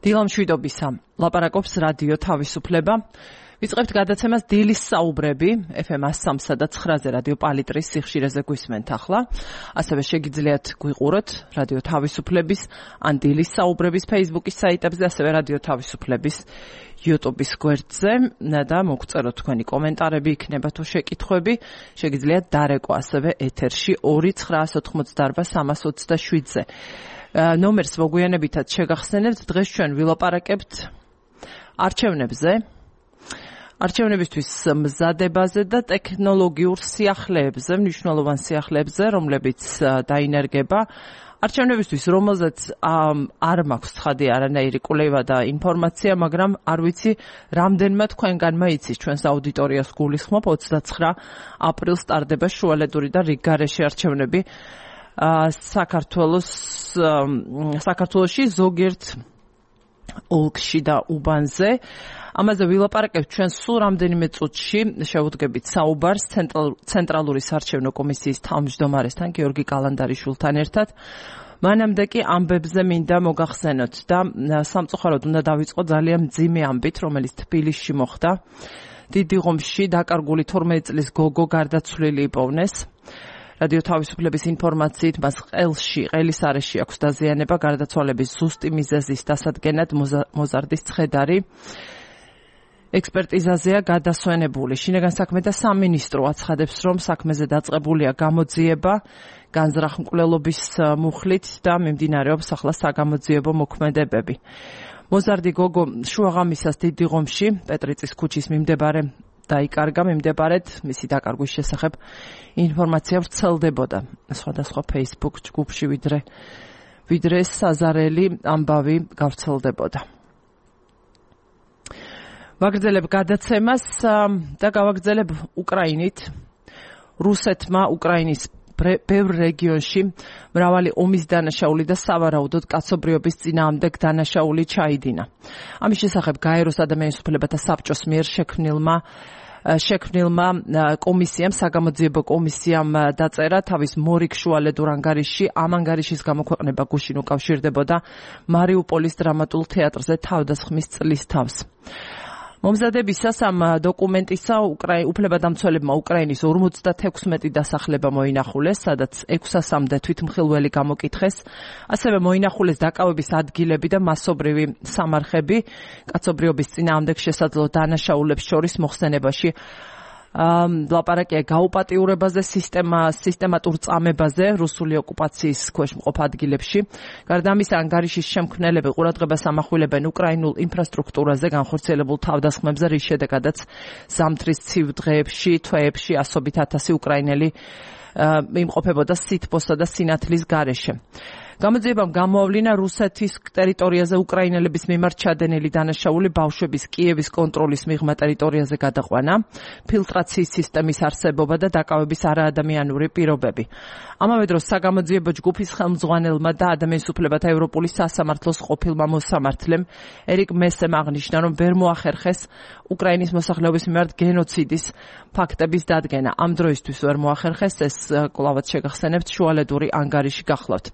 დილამშვიდობისა, ლაპარაკობს რადიო თავისუფლება. ვიწყებთ გადაცემას დილის საუბრები FM 103 და 9-ზე რადიო პალიტრის სიხშირეზე გვისმენთ ახლა. ასევე შეგიძლიათ გვიყუროთ რადიო თავისუფლების ან დილის საუბრების Facebook-ის საიტებზე, ასევე რადიო თავისუფლების YouTube-ის გვერდზე და მოგწეროთ თქვენი კომენტარები, იქნება თუ შეკითხვები. შეგიძლიათ დარეკვა ასევე ეთერში 2-988-327-ზე. ნომერს მოგვიანებითაც შეგახსენებთ, დღეს ჩვენ ვილაპარაკებთ არჩევნებზე. არჩევნებისთვის მზადებაზე და ტექნოლოგიურ სიახლეებზე, მნიშვნელოვან სიახლეებზე, რომლებიც დაინერგება. არჩევნებისთვის, რომელზეც არ მაქვს ცხადი არანაირი კვლევა და ინფორმაცია, მაგრამ არ ვიცი, რამდენმა თქვენგანმა იცის ჩვენს აუდიტორიას გულისხმობ, 29 აპრილს სტარდება შუალედური და რიგგარეშე არჩევნები საქართველოში ზოგიერთ ოლქში და უბანზე. ამაზე ვილაპარაკებთ ჩვენ სულ რამდენიმე წუთში, შევუდგებით საუბარს ცენტრალური საარჩევნო კომისიის თავმჯდომარესთან, გიორგი კალანდარიშვილთან ერთად. მანამდე კი ამბებზე მინდა მოგახსენოთ და სამწუხაროდ უნდა დავიწყო ძალიან მძიმე ამბით, რომელიც თბილისში მოხდა. დიდიღომში დაკარგული 12 წლის გოგო გარდაცვლილი იპოვნეს. რადიო თავისუფლების ინფორმაციით მას ყელის არეში აქვს დაზიანება, გარდაცვალების ზუსტი მიზეზის დასადგენად მოზარდის ცხედარი ექსპერტიზაზეა გადასვენებული. შინაგან საქმეთა სამინისტრო აცხადებს, რომ საქმეზე დაწყებულია გამოძიება განზრახმკვლელობის მუხლით და მიმდინარეობს ახლა საგამოძიებო მოქმედებები. მოზარდი გოგო შუაღამისას დიდიღომში პეტრიწის ქუჩის დაიკარგა მიმდებარედ, მისი დაკარგვის შესახებ ინფორმაცია ვრცელდებოდა სხვადასხვა Facebook ჯგუფში, ვიდრე საზარელი ამბავი გავრცელდებოდა. ვაგრძელებ გადაცემას და გავაგრძელებ უკრაინით. რუსეთმა უკრაინის ბევრ რეგიონში მრავალი ომის დანაშაული და სავარაუდოდ კაცობრიობის წინააღმდეგ დანაშაული ჩაიდინა. ამის შესახებ გაეროს ადამიანის უფლებათა საბჭოს მიერ შექმნილმა კომისიამ, საგამოძიებო კომისიამ დაწერა თავის მორიგ შუალედურ ანგარიშში. ამ ანგარიშის გამოქვეყნება გუშინ უკავშირდებოდა მარიუპოლის დრამატულ თეატრზე თავდასხმის წლის თავს. მომზადებისას ამ დოკუმენტისა უფლებადამცველებმა უკრაინის 56 დასახლება მოინახულეს, სადაც 600-მდე თვითმხილველი გამოკითხეს. ასევე მოინახულეს დაკავების ადგილები და მასობრივი სამარხები კაცობრიობის წინააღმდეგ შესაძლო დანაშაულებს შორის მოხსენებაში. ლაპარაკია გაუპატიურებაზე, სისტემატურ წამებაზე რუსული ოკუპაციის ქვეშ მყოფ ადგილებში. გარდა ამისა, ანგარიშის შემქმნელები ყურადღებას ამახვილებენ უკრაინულ ინფრასტრუქტურაზე განხორციელებულ თავდასხმებზე, რის შედეგადაც ზამთრის ცივ დღეებში, თვეებში ასობით ათასი უკრაინელი იმყოფებოდა სითბოსა და სინათლის გარეშე. გამოძიებამ გამოავლინა რუსეთის ტერიტორიაზე უკრაინელების მიმართ ჩადენილი დანაშაული, ბავშვების კიევის კონტროლის მიღმა ტერიტორიაზე გადაყვანა, ფილტრაციის სისტემის არსებობა და დაკავების არაადამიანური პირობები. ამავე დროს საგამოძიებო ჯგუფის ხელმძღვანელმა და ადამიანის უფლებათა ევროპული სასამართლოს ყოფილმა მოსამართლემ ერიკ მესემ აღნიშნა, რომ ვერ მოახერხეს უკრაინის მოსახლეობის მიმართ გენოციდის ფაქტების დადგენა. ამ დროისთვის ვერ მოახერხეს, ეს კვლავაც შეგახსენებთ, შუალედური ანგარიში გახლავთ.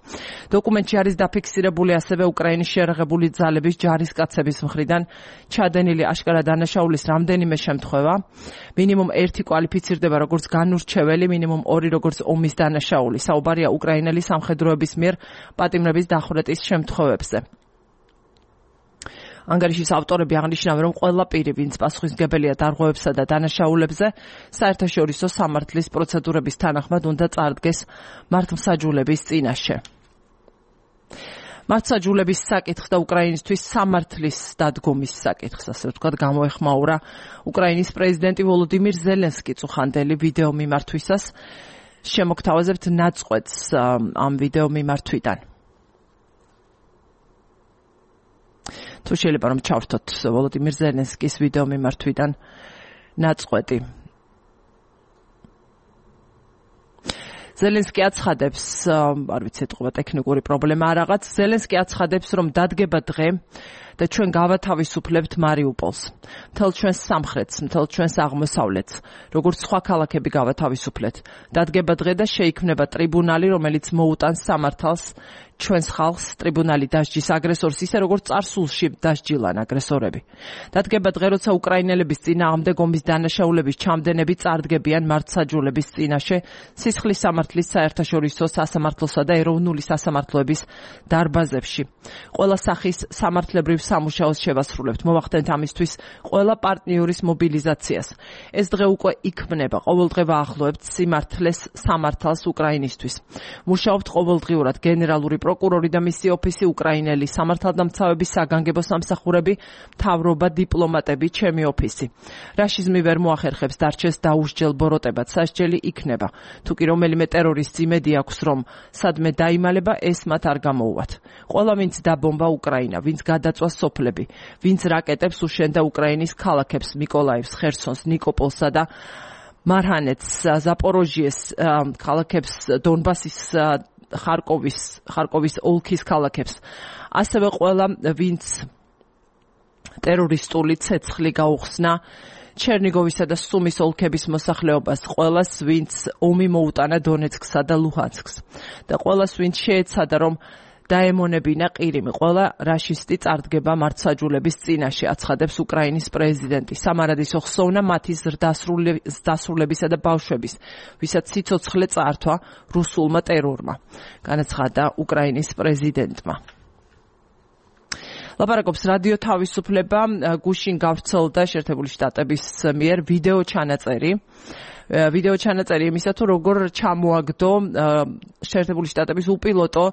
დოკუმენტში არის დაფიქსირებული ასევე უკრაინის შეიარაღებული ძალების ჯარისკაცების მხრიდან ჩადენილი აშკარა დანაშაულის რამდენიმე შემთხვევა. მინიმუმ 1 კვალიფიცირდება როგორც განურჩეველი, მინიმუმ 2 როგორც ომის დანაშაული. საუბარია უკრაინელი სამხედროების მიერ პატიმრების დახვრეტის შემთხვევებზე. ანგარიშის ავტორები აღნიშნავენ, რომ ყველა პირი, ვინც პასუხისმგებელია დარღვევებსა და დანაშაულებზე, საერთაშორისო სამართლის პროცედურების თანახმად უნდა წარდგეს მართლმსაჯულების წინაშე. მართლმსაჯულების საკითხს და უკრაინისთვის სამართლის დადგომის საკითხს, ასე ვთქვათ, გამოეხმაურა უკრაინის პრეზიდენტი ვოლოდიმირ ზელენსკი წუხანდელი ვიდეო მიმართვისას. შემოგთავაზებთ ნაწყვეტს ამ ვიდეო მიმართვიდან. თუ შეიძლება რომ ჩავრთოთ ვოლოდიმირ ზელენსკის ვიდეო მიმართვიდან ნაწყვეტი. ზელენსკი აცხადებს, არ ვიცი, ეთყობა ტექნიკური პრობლემა არ რაღაც. ზელენსკი აცხადებს, რომ დადგება დღე და ჩვენ გავათავისუფლებთ მარიუპოლს. მთელ ჩვენს სამხრეთს, მთელ ჩვენს აღმოსავლეთს, როგორც სხვა ქალაქები გავათავისუფლეთ. დადგება დღე და შეიქმნება ტრიბუნალი, რომელიც მოუტანს სამართალს ჩვენს ხალხს, ტრიბუნალი დასჯის აგრესორს ისე როგორც წარსულში დასჯილან აგრესორები. დადგება დღე, როცა უკრაინელების წინააღმდეგ ომის დანაშაულების ჩამდენები წარდგებიან მართლმსაჯულების წინაშე სისხლის სამართლის საერთაშორისო სასამართლოსა და ეროვნული სასამართლოების დარბაზებში. ყველა სახის სამართლებრივ სამუშაოს შევასრულებთ. მოვახდენთ ამისთვის ყველა პარტნიორის მობილიზაციას. ეს დღე უკვე იქმნება. ყოველდღე ვაახლოებთ სიმართლეს სამართალს უკრაინისთვის. მუშაობთ ყოველდღიურად გენერალური პროკურორი და მისი ოფისი, უკრაინელი სამართალდამცავების საგანგებო სამსახურები, მთავრობა, დიპლომატები, ჩემი ოფისი. რაშიზმი ვერ მოახერხებს დარჩეს დაუსჯელ ბოროტებად, სასჯელი იქნება. თუ კი რომელიმე ტერორისტს იმედი აქვს, რომ სადმე დაიმალება, ეს მათ არ გამოუვათ. ყველა ვინც დაბომბა უკრაინა, ვინც გადაწვა სოფლები, ვინც რაკეტებს უშენდა უკრაინის ქალაქებს, მიკოლაევს, ხერსონს, ნიკოპოლსა და მარჰანეთს, ზაპოროჟიეს ქალაქებს, დონბასის ხარკოვის ოლქის ქალაქებს, ასევე ყველა ვინც ტერორისტული ცეცხლი გაუხსნა ჩერნიგოვისა და სუმის ოლქების მოსახლეობას, ყველას ვინც ომი მოუტანა დონეცკსა და ლუჰანსკს და ყველას ვინც შეეცადა რომ დაემონებინა ყირიმი, ყველა რაშისტი წარდგება მართლმსაჯულების წინაშე, აცხადებს უკრაინის პრეზიდენტი. სამარადისო ხსოვნა მათი ზრდასრულებისა და ბავშვების, ვისაც სიცოცხლე წაართვა რუსულმა ტერორმა, განაცხადა უკრაინის პრეზიდენტმა. ლაპარაკობს რადიო თავისუფლება, გუშინ გავრცელდა შეერთებული შტატების მიერ ვიდეო ჩანაწერი იმისა, თუ როგორ ჩამოაგდო შეერთებული შტატების უპილოტო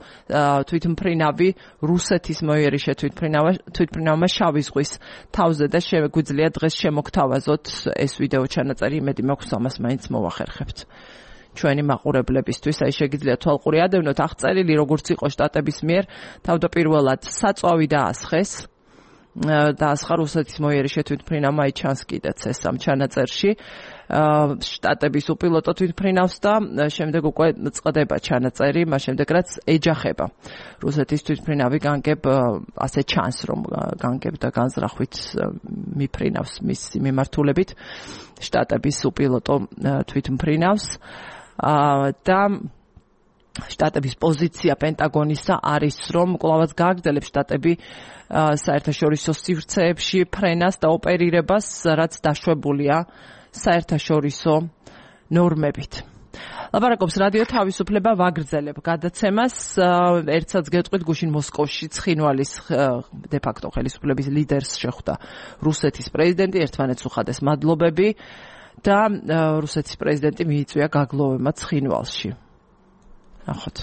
თვითმფრინავი რუსეთის მოიერიშე თვითმფრინავმა შავი ზღვის თავზე და შეგვიძლია დღეს შემოგთავაზოთ ეს ვიდეო ჩანაწერი, იმედი მაქვს ამას მაინც მოვახერხებთ. ჩვენი მაყურებლებისთვის, აი შეგიძლიათ თვალყური ადევნოთ, აღწერილი როგორც იყო შტატების მიერ, თავდაპირველად საწვავი დაასხა რუსეთის მოიერიშე თვითმფრინავმა, აი ჩანს კიდეც ეს ამ ჩანაწერში, შტატების უპილოტო თვითმფრინავს და შემდეგ უკვე წყდება ჩანაწერი, მას შემდეგ რაც ეჯახება რუსეთის თვითმფრინავი განგებ, ასე ჩანს რომ განგებ და განზრახვით მიფრინავს მისი მიმართულებით შტატების უპილოტო თვითმფრინავს. და შტატების პოზიცია პენტაგონისა არის, რომ კვლავაც გააგრძელებს შტატები საერთაშორისო სივრცეებში ფრენას და ოპერირებას, რაც დაშვებულია საერთაშორისო ნორმებით. ლაპარაკობს რადიო თავისუფლება, ვაგრძელებ გადაცემას. ერთსაც გეტყვით, გუშინ მოსკოვში ცხინვალის დე-ფაქტო ხელისუფლების ლიდერს შეხვდა რუსეთის პრეზიდენტი, ერთმანეთს უხადეს მადლობები და რუსეთის პრეზიდენტი მიიწვია გაგლოვება ცხინვალში. ნახოთ.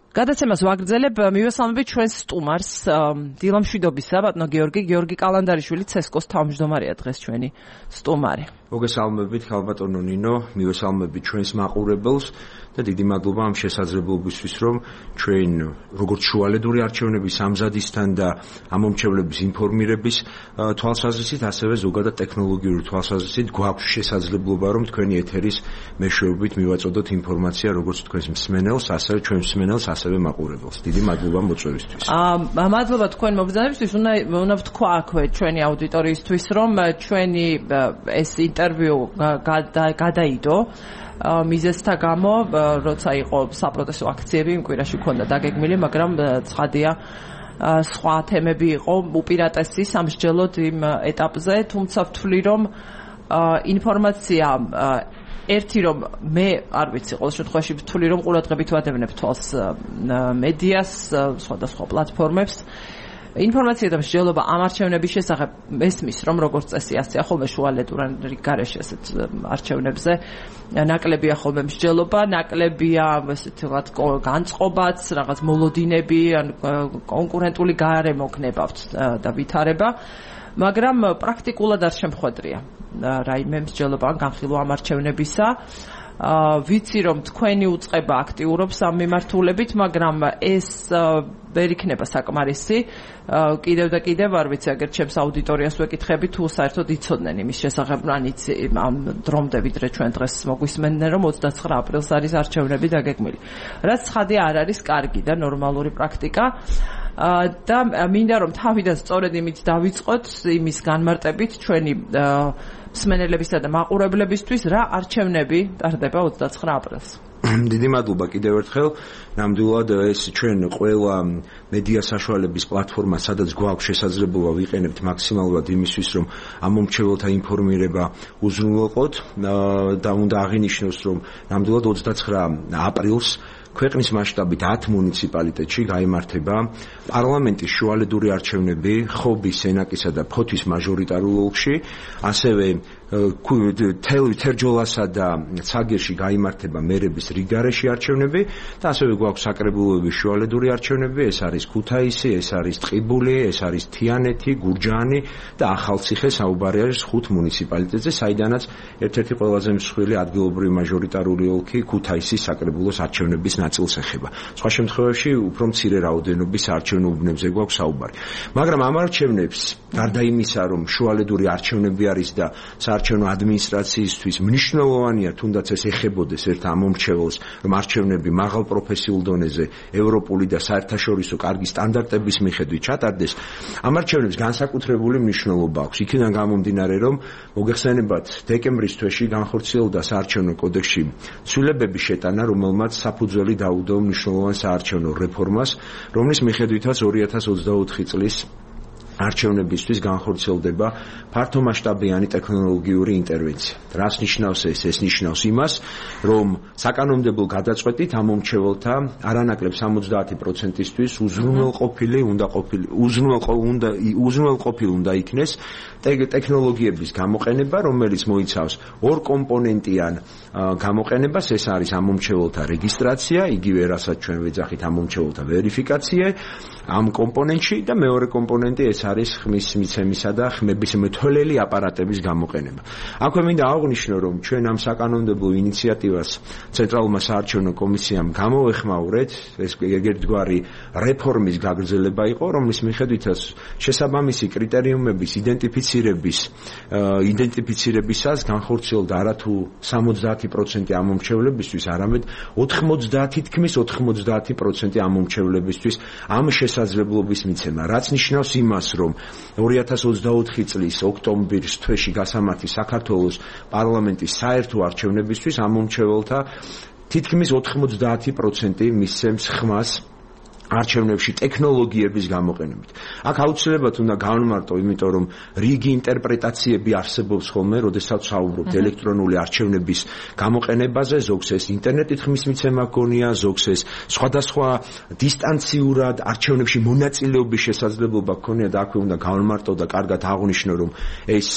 გადაცემას ვაგრძელებ, მივესალმებით ჩვენს სტუმარს, დილამშვიდობისა, ბატონო გიორგი კალანდარიშვილი, ცესკოს თავმჯდომარეა დღეს ჩვენი სტუმარი. მოგესალმებით, ხალბატონო ნინო, მივესალმებით ჩვენს მაყურებელს და დიდი მადლობა ამ შესაძლებლობისთვის, რომ ჩვენ როგორც შუალედური არჩევნების ამზადისთან და ამომრჩევლების ინფორმირების თვალსაზრისით, ასევე ზოგადად ტექნოლოგიური თვალსაზრისით გვაქვს შესაძლებლობა, რომ თქვენი ეთერის მეშვეობით მივაწოდოთ ინფორმაცია როგორც თქვენს მსმენელს, ასევე ჩვენ მსმენელს, ასევე მაყურებელს. დიდი მადლობა მოწვევისთვის. მადლობა თქვენ მობრძანებისთვის, უნდა ვთქვა აქვე ჩვენი აუდიტორიისთვის, რომ ჩვენი ეს ინტერვიუ გადაიდო მიზეზთა გამო, როცა იყო საპროტესტო აქციები, იმ კვირაში ქონდა დაგეგმილი, მაგრამ ცხადია სხვა თემები იყო უპირატესი სამსჯელოდ იმ ეტაპზე, თუმცა ვთვლი, რომ ინფორმაცია ერთი რომ მე არ ვიცი, ყოველ შემთხვევაში ვთვლი, რომ ყურადღებით ვადევნებ თვალს მედიას, სხვადასხვა პლატფორმებს. ინფორმაცია და მსჯელობა ამ არჩევნების შესახებ მესმის, რომ როგორც წესია, ასე ხოლმე შუალედური გარეშე ასეთ არჩევნებზე ნაკლებია ხოლმე მსჯელობა, ნაკლებია ესეთი რაღაც განწყობაც, რაღაც მოლოდინები, ან კონკურენტული გარემო გნებავთ და ვითარება, მაგრამ პრაქტიკულად არ შემხვედრია რაიმე მსჯელობა ან განხილვა ამ არჩევნებისა. ვიცი რომ თქვენი უწყება აქტიურობს ამ მიმართულებით, მაგრამ ეს ვერ იქნება საკმარისი. კიდევ და კიდევ არ ვიცი, აგერ ჩემს აუდიტორიას ვეკითხები, თუ საერთოდ იცოდნენ იმის შესახებ, ამ დრომდე ვიდრე ჩვენ დღეს მოგვისმენდნენ, რომ 29 აპრილს არის არჩევნები დაგეგმილი. რაც ცხადია არ არის კარგი და ნორმალური პრაქტიკა. და მინდა რომ თავიდან სწორედ იმით დავიწყოთ იმის განმარტებით ჩვენი მსმენელებისა და მაყურებლებისთვის რა არჩევნები ტარდება 29 აპრილს. დიდი მადლობა კიდევ ერთხელ. ნამდვილად ეს ჩვენ ყველა მედია საშუალების პლატფორმა, სადაც გვაქვს შესაძლებლობა ვიყენებთ მაქსიმალურად იმისთვის, რომ ამ მომრჩეველთა ინფორმირება უზრუნველყოთ და უნდა აღინიშნოს, რომ ნამდვილად 29 აპრილს ქვეყნის მასშტაბით 10 მუნიციპალიტეტში გაიმართება პარლამენტის შუალედური არჩევნები ხობის, სენაკისა და ფოთვის მაჟორიტარულ ოლქში, ასევე თერჯოლასა და ცაგერში გაიმართება მერების რიგგარეშე არჩევნები და ასევე გვაქვს საკრებულოების შუალედური არჩევნები, ეს არის ქუთაისი, ეს არის ტყიბული, ეს არის თიანეთი, გურჯაანი და ახალციხე, საუბარი არის 5 მუნიციპალიტეტზე, საიდანაც ერთ-ერთი ყველაზე მსხვილი ადგილობრივი მაჟორიტარული ოლქი ქუთაისის საკრებულოს არჩევნების ნაწილს ეხება. სხვა შემთხვევაში უფრო მცირე რაოდენობის არჩევნო უბნებზე გვაქვს საუბარი. მაგრამ ამ არჩევნებს, გარდა იმისა, რომ შუალედური არჩევნები არის და საარჩევნო ადმინისტრაციისთვის მნიშვნელოვანია, თუნდაც ეს ეხებოდეს ერთ ამ მომრჩეველს, რომ არჩევნები მაღალ პროფესიულ დონეზე, ევროპული და საერთაშორისო კარგი სტანდარტების მიხედვით ჩატარდეს, ამ არჩევნებს განსაკუთრებული მნიშვნელობა აქვს. იქიდან გამომდინარე, რომ მოგეხსენებათ, დეკემბრის თვეში განხორციელდა საარჩევნო კოდექსში ცვლილებების შეტანა, რომელმაც საფუძველი დაუდო მნიშვნელოვან საარჩევნო რეფორმას, რომლის მიხედვითაც 2024 წლის არჩევნებისთვის განხორციელდება ფართომასშტაბიანი ტექნოლოგიური ინტერვენცია. რას ნიშნავს ეს? ეს ნიშნავს იმას, რომ საკანონმდებლო გადაწყვეტით ამ მომრჩეველთა არანაკლებ 70%-ისთვის უზრუნველყოფილი უნდა იქნეს ტექნოლოგიების გამოყენება, რომელიც მოიცავს ორ კომპონენტიან გამოყენებას, ეს არის ამ მომრჩეველთა რეგისტრაცია, იგივე რასაც ჩვენ ვეძახით ამ მომრჩეველთა ვერიფიკაცია ამ კომპონენტში და მეორე კომპონენტი ეს არის ხმის მიცემისა და ხმების მეთვალელი აპარატების გამოყენება. აქვე მინდა აღვნიშნო, რომ ჩვენ ამ საკანონმდებლო ინიციატივას ცენტრალურმა საარჩევნო კომისიამ გამოეხმაურეთ, ეს ერთგვარი რეფორმის გაგრძელება იყო, რომლის მიხედვითაც შესაბამისი კრიტერიუმების იდენტიფიცირებისას განხორციელდა არათუ 70% ამ მომრჩევლებისთვის, არამედ 90% ამ მომრჩევლებისთვის ამ შესაძლებლობის მიცემა, რაც ნიშნავს იმას, რომ 2024 წლის ოქტომბრის თვეში გასამართი საქართველოს პარლამენტის საერთო არჩევნებისთვის ამ მომრჩეველთა თითქმის 90% მისცემს ხმას არჩევნებში ტექნოლოგიების გამოყენებით. აქ აუცილებლად უნდა განვმარტო, იმიტომ რომ რიგი ინტერპრეტაციები არსებობს ხოლმე, როდესაც საუბრობთ ელექტრონული არჩევნების გამოყენებაზე, ზოგს ეს ინტერნეტით ხმის მიცემა გონია, ზოგს ეს სხვადასხვა დისტანციურად არჩევნებში მონაწილეობის შესაძლებლობა გქონია და აქვე უნდა განვმარტო და კარგად აღვნიშნო, რომ ეს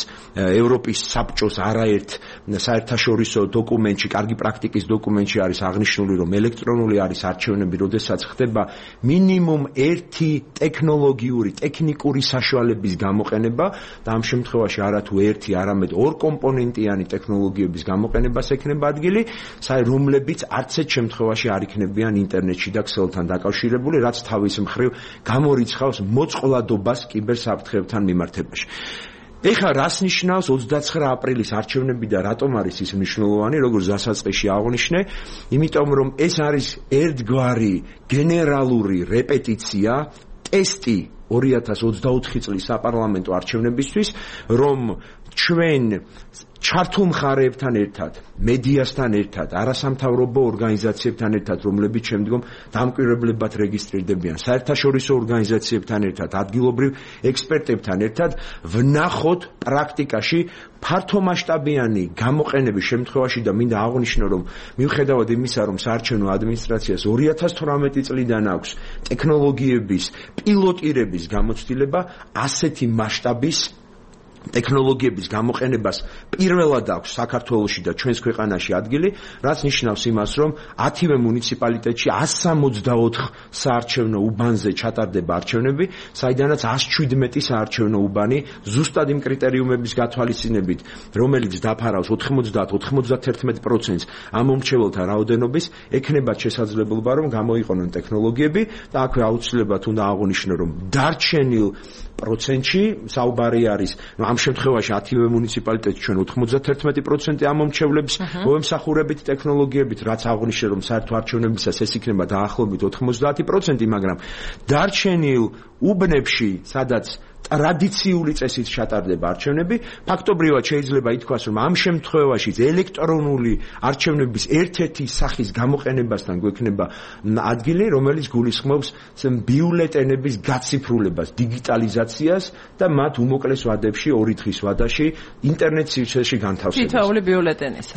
ევროპის საბჭოს არაერთ საერთაშორისო დოკუმენტში, კარგი პრაქტიკის დოკუმენტში არის აღნიშნული, რომ ელექტრონული არის არჩევნები, როდესაც ხდება მინიმუმ ერთი ტექნიკური საშუალების გამოყენება და ამ შემთხვევაში არათუ ერთი, არამედ ორ კომპონენტიანი ტექნოლოგიების გამოყენებას ექნება ადგილი, რომლებიც არც ერთ შემთხვევაში არ იქნებიან ინტერნეტში და ქსელთან დაკავშირებული, რაც თავის მხრივ გამორიცხავს მოწყვლადობას კიბერსაფრთხეებთან მიმართებაში. ეხლა რას ნიშნავს 29 აპრილის არჩევნები და რატომ არის ის მნიშვნელოვანი, როგორც დასაწყისში აღვნიშნე, იმიტომ რომ ეს არის ერთგვარი გენერალური რეპეტიცია, ტესტი 2024 წლის საპარლამენტო არჩევნებისთვის, რომ ჩვენ ჩართულ მხარეებთან ერთად, მედიასთან ერთად, არასამთავრობო ორგანიზაციებთან ერთად, რომლებიც შემდგომ დამკვირვებლებად რეგისტრირდებიან, საერთაშორისო ორგანიზაციებთან ერთად, ადგილობრივ ექსპერტებთან ერთად ვნახოთ პრაქტიკაში ფართომასშტაბიანი გამოყენების შემთხვევაში და მინდა აღვნიშნო, რომ მიუხედავად იმისა, რომ საარჩევნო ადმინისტრაციას 2018 წლიდან აქვს ტექნოლოგიების პილოტირების გამოცდილება, ასეთი მასშტაბის ტექნოლოგიების გამოყენებას პირველად აქვს საქართველოში და ჩვენს ქვეყანაში ადგილი, რაც ნიშნავს იმას, რომ 10-ვე მუნიციპალიტეტში 164 საარჩევნო უბანზე ჩატარდება არჩევნები, საიდანაც 117 საარჩევნო უბანი ზუსტად იმ კრიტერიუმების გათვალისწინებით, რომელიც დაფარავს 90-91% ამ მომრჩეველთა რაოდენობის, ექნებათ შესაძლებლობა, რომ გამოიყენონ ტექნოლოგიები და აქვე აუცილებლად უნდა აღვნიშნო, რომ დარჩენილ პროცენტში საუბარი არის, ამ შემთხვევაში 10-ვე მუნიციპალიტეტი ჩვენ 91% ამომრჩევლებს მოემსახურებით ტექნოლოგიებით, რაც აღნიშნე რომ საერთო არჩევნებისას ეს იქნება დაახლოებით 90%, მაგრამ დარჩენილ უბნებში, სადაც ტრადიციული წესით ჩატარდება არჩევნები, ფაქტობრივად შეიძლება ითქვას, რომ ამ შემთხვევაში ელექტრონული არჩევნების ერთ-ერთი სახის გამოყენებასთან გვექნება ადგილი, რომელიც გულისხმობს ბიულეტენების გაციფრულებას, დიგიტალიზაციას და მათ უმოკლეს ვადებში, 2 დღის ვადაში ინტერნეტ სივრცეში განთავსებას.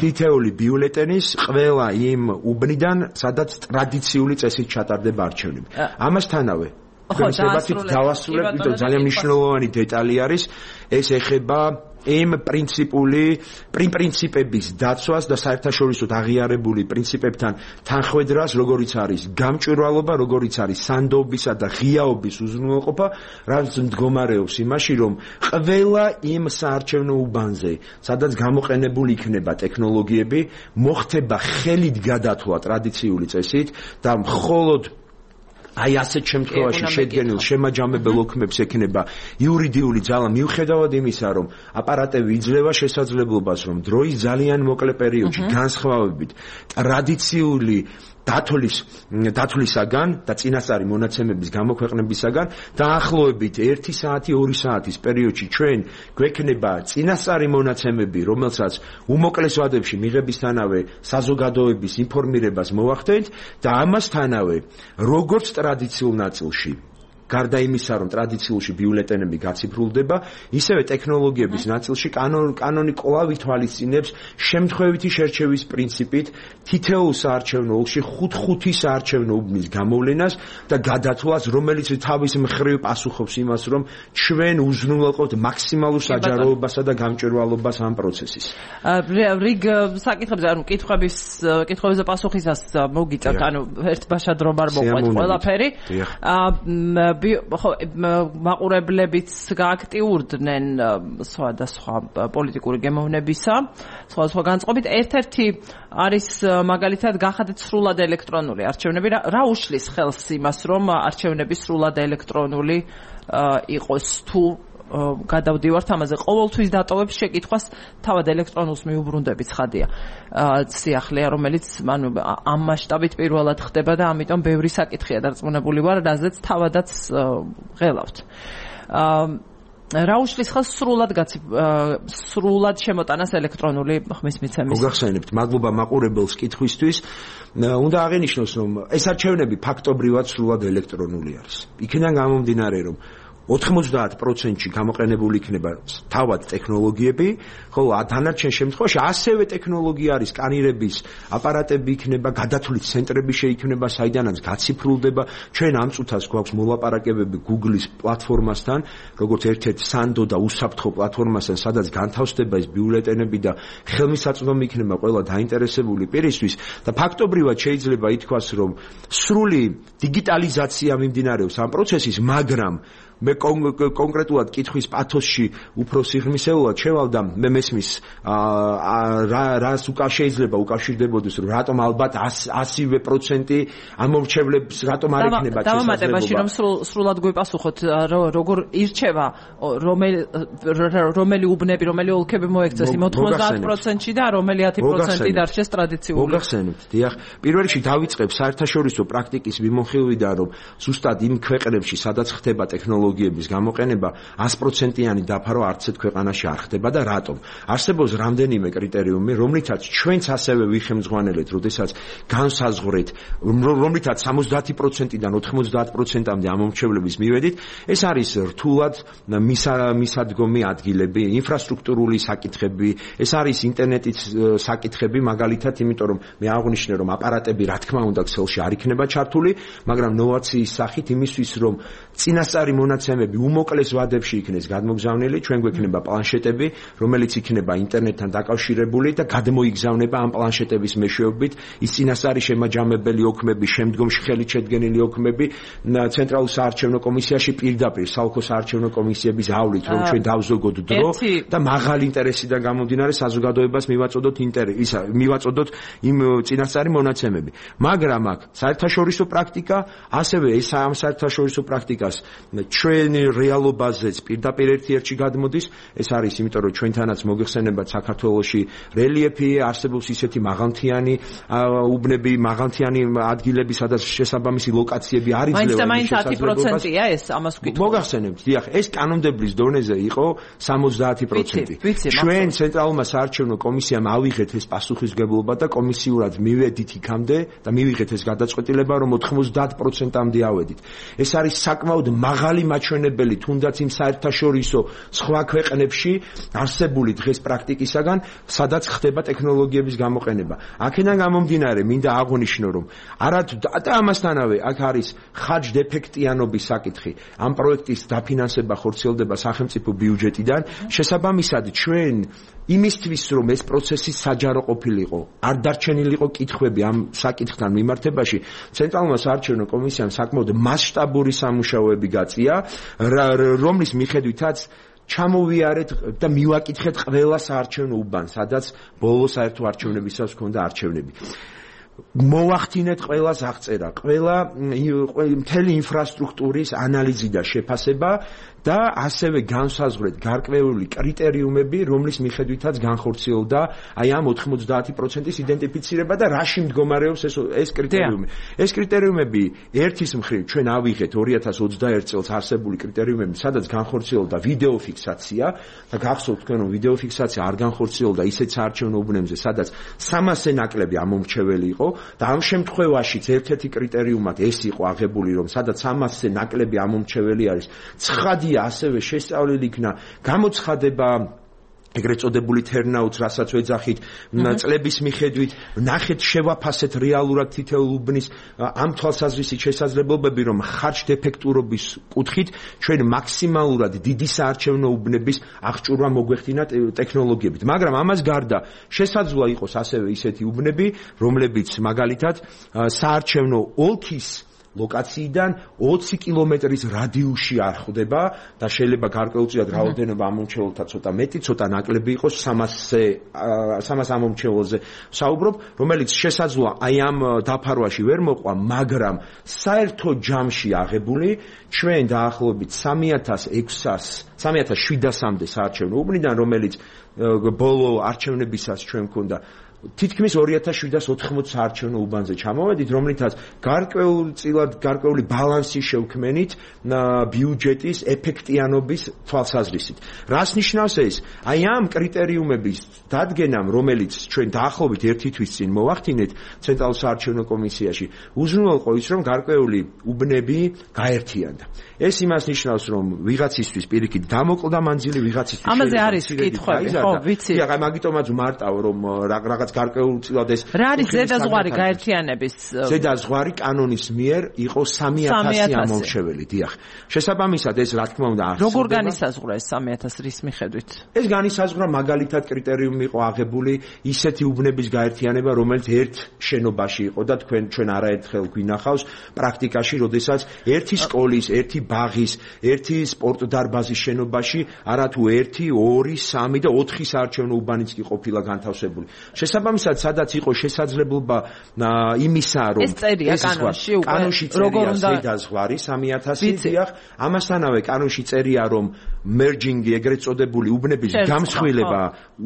თითოეული ბიულეტენის ყველა იმ უბნიდან, sadაც ტრადიციული წესით ჩატარდება არჩევნები. ამასთანავე დავასრულებ, ძალიან მნიშვნელოვანი დეტალი არის, ეს ეხება იმ პრინციპების დაცვას და საერთაშორისოდ აღიარებული პრინციპებთან თანხვედრას, როგორიც არის გამჭვირვალობა, როგორიც არის სანდობისა და ღიაობის უზრუნველყოფა, რაც მდგომარეობს იმაში, რომ ყველა იმ საარჩევნო უბანზე, სადაც გამოყენებული იქნება ტექნოლოგიები, მოხდება ხელით გადათვლა ტრადიციული წესით და მხოლოდ აი ასეთ შემთხვევაში შედგენილ შემაჯამებელ ოქმებს ექნება იურიდიული ძალა მიუხედავად იმისა, რომ აპარატები იძლევა შესაძლებლობას, რომ დროის ძალიან მოკლე პერიოდში განსხვავებით ტრადიციული დათვლისაგან და წინასწარი მონაცემების გამოქვეყნებისაგან დაახლოებით 1 საათი 2 საათის პერიოდში ჩვენ გვექნება წინასწარი მონაცემები, რომელსაც უმოკლეს ვადებში მიღებისთანავე საზოგადოების ინფორმირებას მოვახდენთ და ამასთანავე როგორც ტრადიციულ ნაწილში გარდა იმისა, რომ ტრადიციულში ბიულეტენები გაციფრულდება, ისევე ტექნოლოგიების ნაწილში კანონი კვლავ ითვალისწინებს შემთხვევითი შერჩევის პრინციპით თითოეულ საარჩევნო ოლქში 5 საარჩევნო უბნის გამოვლენას და გადათვლას, რომელიც თავის მხრივ პასუხობს იმას, რომ ჩვენ უზრუნველყოფთ მაქსიმალურ საჯაროებასა და გამჭვირვალობას ამ პროცესის. რიგ საკითხებზე, ანუ კითხვებზე პასუხისას მოგიწევთ, ანუ ერთბაშად რომ არ მოყვეთ ყველაფერი. მაყურებლებიც გააქტიურდნენ სხვადასხვა პოლიტიკური გემოვნებისა, სხვადასხვა განწყობით. ერთ-ერთი არის მაგალითად გახადეთ სრულად ელექტრონული არჩევნები. რა უშლის ხელს იმას, რომ არჩევნები სრულად ელექტრონული იყოს თუ გადავდივართ ამაზე. ყოველთვის დატოვებს შეკითხვას თავად ელექტრონულს მიუბრუნდები ცხადია. სიახლეა, რომელიც ამ მასშტაბით პირველად ხდება და ამიტომ ბევრი საკითხია დარწმუნებული ვარ, რაზეც თავადაც ღელავთ. რა უშლის ხელს სრულად შემოტანას ელექტრონული ხმის მიცემის? მოგახსენებთ, მადლობა მაყურებელს კითხვისთვის. უნდა აღინიშნოს, რომ ეს არჩევნები ფაქტობრივად სრულად ელექტრონული არის. იქიდან გამომდინარე, რომ 90%-ში გამოყენებული იქნება თავად ტექნოლოგიები, ხოლო დანარჩენ შემთხვევაში ასევე ტექნოლოგია არის, სკანირების აპარატები იქნება, გადათვლის ცენტრები შეიქმნება, საიდანაც გაციფრულდება. ჩვენ ამ წუთას გვაქვს მოლაპარაკებები Google-ის პლატფორმასთან, როგორც ერთ-ერთ სანდო და უსაფრთხო პლატფორმასთან, სადაც განთავსდება ეს ბიულეტენები და ხელმისაწვდომი იქნება ყველა დაინტერესებული პირისთვის და ფაქტობრივად შეიძლება ითქვას, რომ სრული დიგიტალიზაცია მიმდინარეობს ამ პროცესის, მაგრამ მე კონკრეტულად კითხვის პათოსში უფრო სიღრმისეულად შევალდა, მე მესმის რას შეიძლება უკავშირდებოდეს, რომ რატომ ალბათ 100% ამორჩევლებს რატომ არ ექნება შესაძლებლობა. დავამატებაში რომ სრულად გვიპასუხოთ, როგორ ირჩევა რომელი უბნები, რომელი ოლქები მოექცეს იმ 90%-ში და რომელი 10% დარჩეს ტრადიციული. მოგახსენებთ, დიახ. პირველ რიგში დავიწყებ საერთაშორისო პრაქტიკის მიმოხილვიდან, რომ ზუსტად იმ ქვეყნებში, სადაც ხდება ტექნოლოგიების გამოყენება, 100%-იანი დაფარო არც ერთ ქვეყანაში არ ხდება და რატომ? არსებობს რამდენიმე კრიტერიუმი, რომლითაც ჩვენც ასევე ვიხემძღვანელეთ, როდესაც განსაზღვრეთ, რომლითაც 70%-დან 90%-მდე ამომრჩევლების მივედით, ეს არის რთულად მისადგომი ადგილები, ინფრასტრუქტურული საკითხები, ეს არის ინტერნეტის საკითხები, მაგალითად, იმიტომ რომ მე აღვნიშნე, რომ აპარატები რა თქმა უნდა ქსელში არ იქნება ჩართული, მაგრამ ნოვაციის სახით იმისთვის, რომ წინასწარი მონაცემები უმოკლეს ვადებში იქნეს გადმოგზავნილი, ჩვენ გვექნება პლანშეტები, რომელიც იქნება ინტერნეტთან დაკავშირებული და გადმოიგზავნება ამ პლანშეტების მეშვეობით ის წინასწარი შემაჯამებელი ოქმები, შემდგომში ხელით შედგენილი ოქმები ცენტრალურ საარჩევნო კომისიაში პირდაპირ საოლქო საარჩევნო კომისიების ავლით, რომ ჩვენ დავზოგოთ დრო და მაღალი ინტერესიდან გამომდინარე საზოგადოებას მივაწოდოთ იმ წინასწარი მონაცემები. მაგრამ აქ საერთაშორისო პრაქტიკა, ასევე ეს ამ საერთაშორისო პრაქტიკას ჩვენი რეალობაზეც პირდაპირ ერთ-ერთში გადმოდის. ეს არის იმიტომ რომ ჩვენთანაც მოგეხსენებათ საქართველოში რელიეფი არსებობს ისეთი მაღალმთიანი უბნები, მაღალმთიანი ადგილები, სადაც შესაბამისი ლოკაციები არ იძლევა მაინც 10%-ია ეს ამას ვკითხავ. მოგახსენებთ, დიახ, ეს კანონმდებლობის დონეზე იყო 70%. ჩვენ ცენტრალურმა საარჩევნო კომისიამ ავიღეთ ეს პასუხისმგებლობა და კომისიურად მივედით იქამდე და მივიღეთ ეს გადაწყვეტილება, რომ 90%-მდე ავედით. ეს არის საკმაოდ მაღალი მაჩვენებელი, თუნდაც იმ საერთაშორისო სხვა ქვეყნებში არსებული დღეს პრაქტიკისაგან, სადაც ხდება ტექნოლოგიების გამოყენება. აქედან გამომდინარე, მინდა აღვნიშნო, რომ არათუ და ამასთანავე აქ არის ხარჯ-დეფექტიანობის საკითხი. ამ პროექტის დაფინანსება ხორციელდება სახელმწიფო ბიუჯეტიდან. შესაბამისად, ჩვენ იმისთვის, რომ ეს პროცესი საჯარო ყოფილიყო, არ დარჩენილიყო კითხვები ამ საკითხთან მიმართებაში, ცენტრალურმა საარჩევნო კომისიამ საკმაოდ მასშტაბური სამუშაოები გაწია, რომლის მიხედვითაც ჩამოვიარეთ და მივაკითხეთ ყველა საარჩევნო უბანს, სადაც ბოლო საერთო არჩევნებისას ჰქონდა არჩევნები. მოვახდინეთ ყველას აღწერა, მთელი ინფრასტრუქტურის ანალიზი და შეფასება და ასევე განსაზღვრეთ გარკვეული კრიტერიუმები, რომლის მიხედვითაც განხორციელდა აი ამ 90%-ის იდენტიფიცირება და რაში მდგომარეობს ეს კრიტერიუმი. ეს კრიტერიუმები ერთის მხრივ ჩვენ ავიღეთ 2021 წელს არსებული კრიტერიუმები, სადაც განხორციელდა ვიდეო ფიქსაცია და გახსოვთ თქვენ, რომ ვიდეო ფიქსაცია არ განხორციელდა ისეთ საარჩევნო უბნებზე, სადაც 300-ზე ნაკლები ამომრჩეველი იყო და ამ შემთხვევაშიც ერთ-ერთი კრიტერიუმად ეს იყო აღებული, რომ სადაც 300-ზე ნაკლები ამომრჩეველი არის, ცხადია ასევე შესწავლილი იქნა გამოცხადება ეგრეთ წოდებული turnout-ს, რასაც ვეძახით, წლების მიხედვით, ნახეთ შევაფასეთ რეალურად თითოეულ უბნის ამ თვალსაზრისით შესაძლებლობები, რომ ხარჯ-დეფექტურობის კუთხით ჩვენ მაქსიმალურად დიდი საარჩევნო უბნების აღჭურვა მოგვეხდინა ტექნოლოგიებით. მაგრამ ამას გარდა შესაძლოა იყოს ასევე ისეთი უბნები, რომლებიც მაგალითად საარჩევნო ოლქის ლოკაციიდან 20 კილომეტრის რადიუსში არ ხვდება და შეიძლება გარკვეულწილად რაოდენობა ამომრჩეველთა ცოტა მეტი, ცოტა ნაკლები იყოს 300 ამომრჩეველზე საუბრობ, რომელიც შესაძლოა აი ამ დაფარვაში ვერ მოყვა, მაგრამ საერთო ჯამში აღებული ჩვენ დაახლოებით 3700-მდე საარჩევნო უბნიდან, რომელიც ბოლო არჩევნებისას ჩვენ გვქონდა თითქმის 2780 საარჩევნო უბანზე ჩამოვედით, რომლითაც გარკვეული ბალანსი შევქმენით ბიუჯეტის ეფექტიანობის თვალსაზრისით. რას ნიშნავს ეს? აი ამ კრიტერიუმების დადგენამ, რომელიც ჩვენ დაახლოებით 1 თვის წინ მოვახდინეთ ცენტრალურ საარჩევნო კომისიაში, უზრუნველყო ის, რომ გარკვეული უბნები გაერთიანდა. ეს იმას ნიშნავს, რომ ვიღაცისთვის პირიქით დამოკლდა მანძილი, ვიღაცისთვის ამაზე არის კითხვები, ხო, ვიცი. აი მაგიტომაც მარტავ, რომ რაღაც გარკვეულწილად ეს რა არის ზედაზღვარი გაერთიანების? ზედაზღვარი კანონის მიერ იყო 3000 ამომრჩეველი, დიახ. შესაბამისად ეს რა თქმა უნდა არსებობს. როგორ განისაზღვრა ეს 3000 რის მიხედვით? ეს განისაზღვრა მაგალითად კრიტერიუმი იყო აღებული ისეთი უბნების გაერთიანება, რომელიც ერთ შენობაში იყო და ჩვენ არაერთხელ გვინახავს პრაქტიკაში, როდესაც ერთი სკოლის, ერთი ბაღის, ერთი სპორტდარბაზის შენობაში არათუ 1, 2, 3 და 4 საარჩევნო უბანიც კი ყოფილა განთავსებული. შესაბამისად, სადაც იყო შესაძლებლობა იმისა, რომ ეს წერია კანონში უკვე კანონში წერია ზედაზღვარი 3000, დიახ, ამასთანავე კანონში წერია, რომ merging-ი ეგრეთ წოდებული უბნების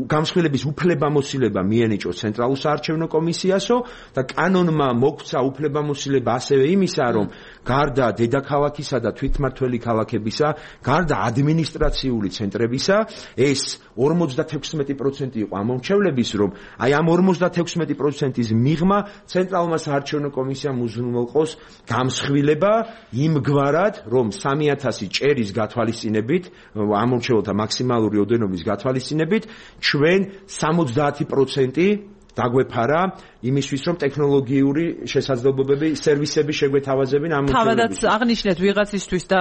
გამსხვილების უფლებამოსილება მიენიჭოს ცენტრალურ საარჩევნო კომისიასო და კანონმა მოგვცა უფლებამოსილება ასევე იმისა, რომ გარდა დედაქალაქისა და თვითმმართველი ქალაქებისა, გარდა ადმინისტრაციული ცენტრებისა, ეს 56% იყო ამომრჩევლების, რომ აი ამ 56%-ის მიღმა ცენტრალურმა საარჩევნო კომისიამ უზრუნველყოს გამსხვილება იმგვარად, რომ 3000 ჭერის გათვალისწინებით, ამომრჩეველთა მაქსიმალური ოდენობის გათვალისწინებით, ჩვენ 70% დაგვეფარა იმისთვის, რომ ტექნოლოგიური შესაძლებლობები, სერვისები შეგვეთავაზებინ ამომრჩეველებს. თავადაც აღნიშნეთ ვიღაცისთვის და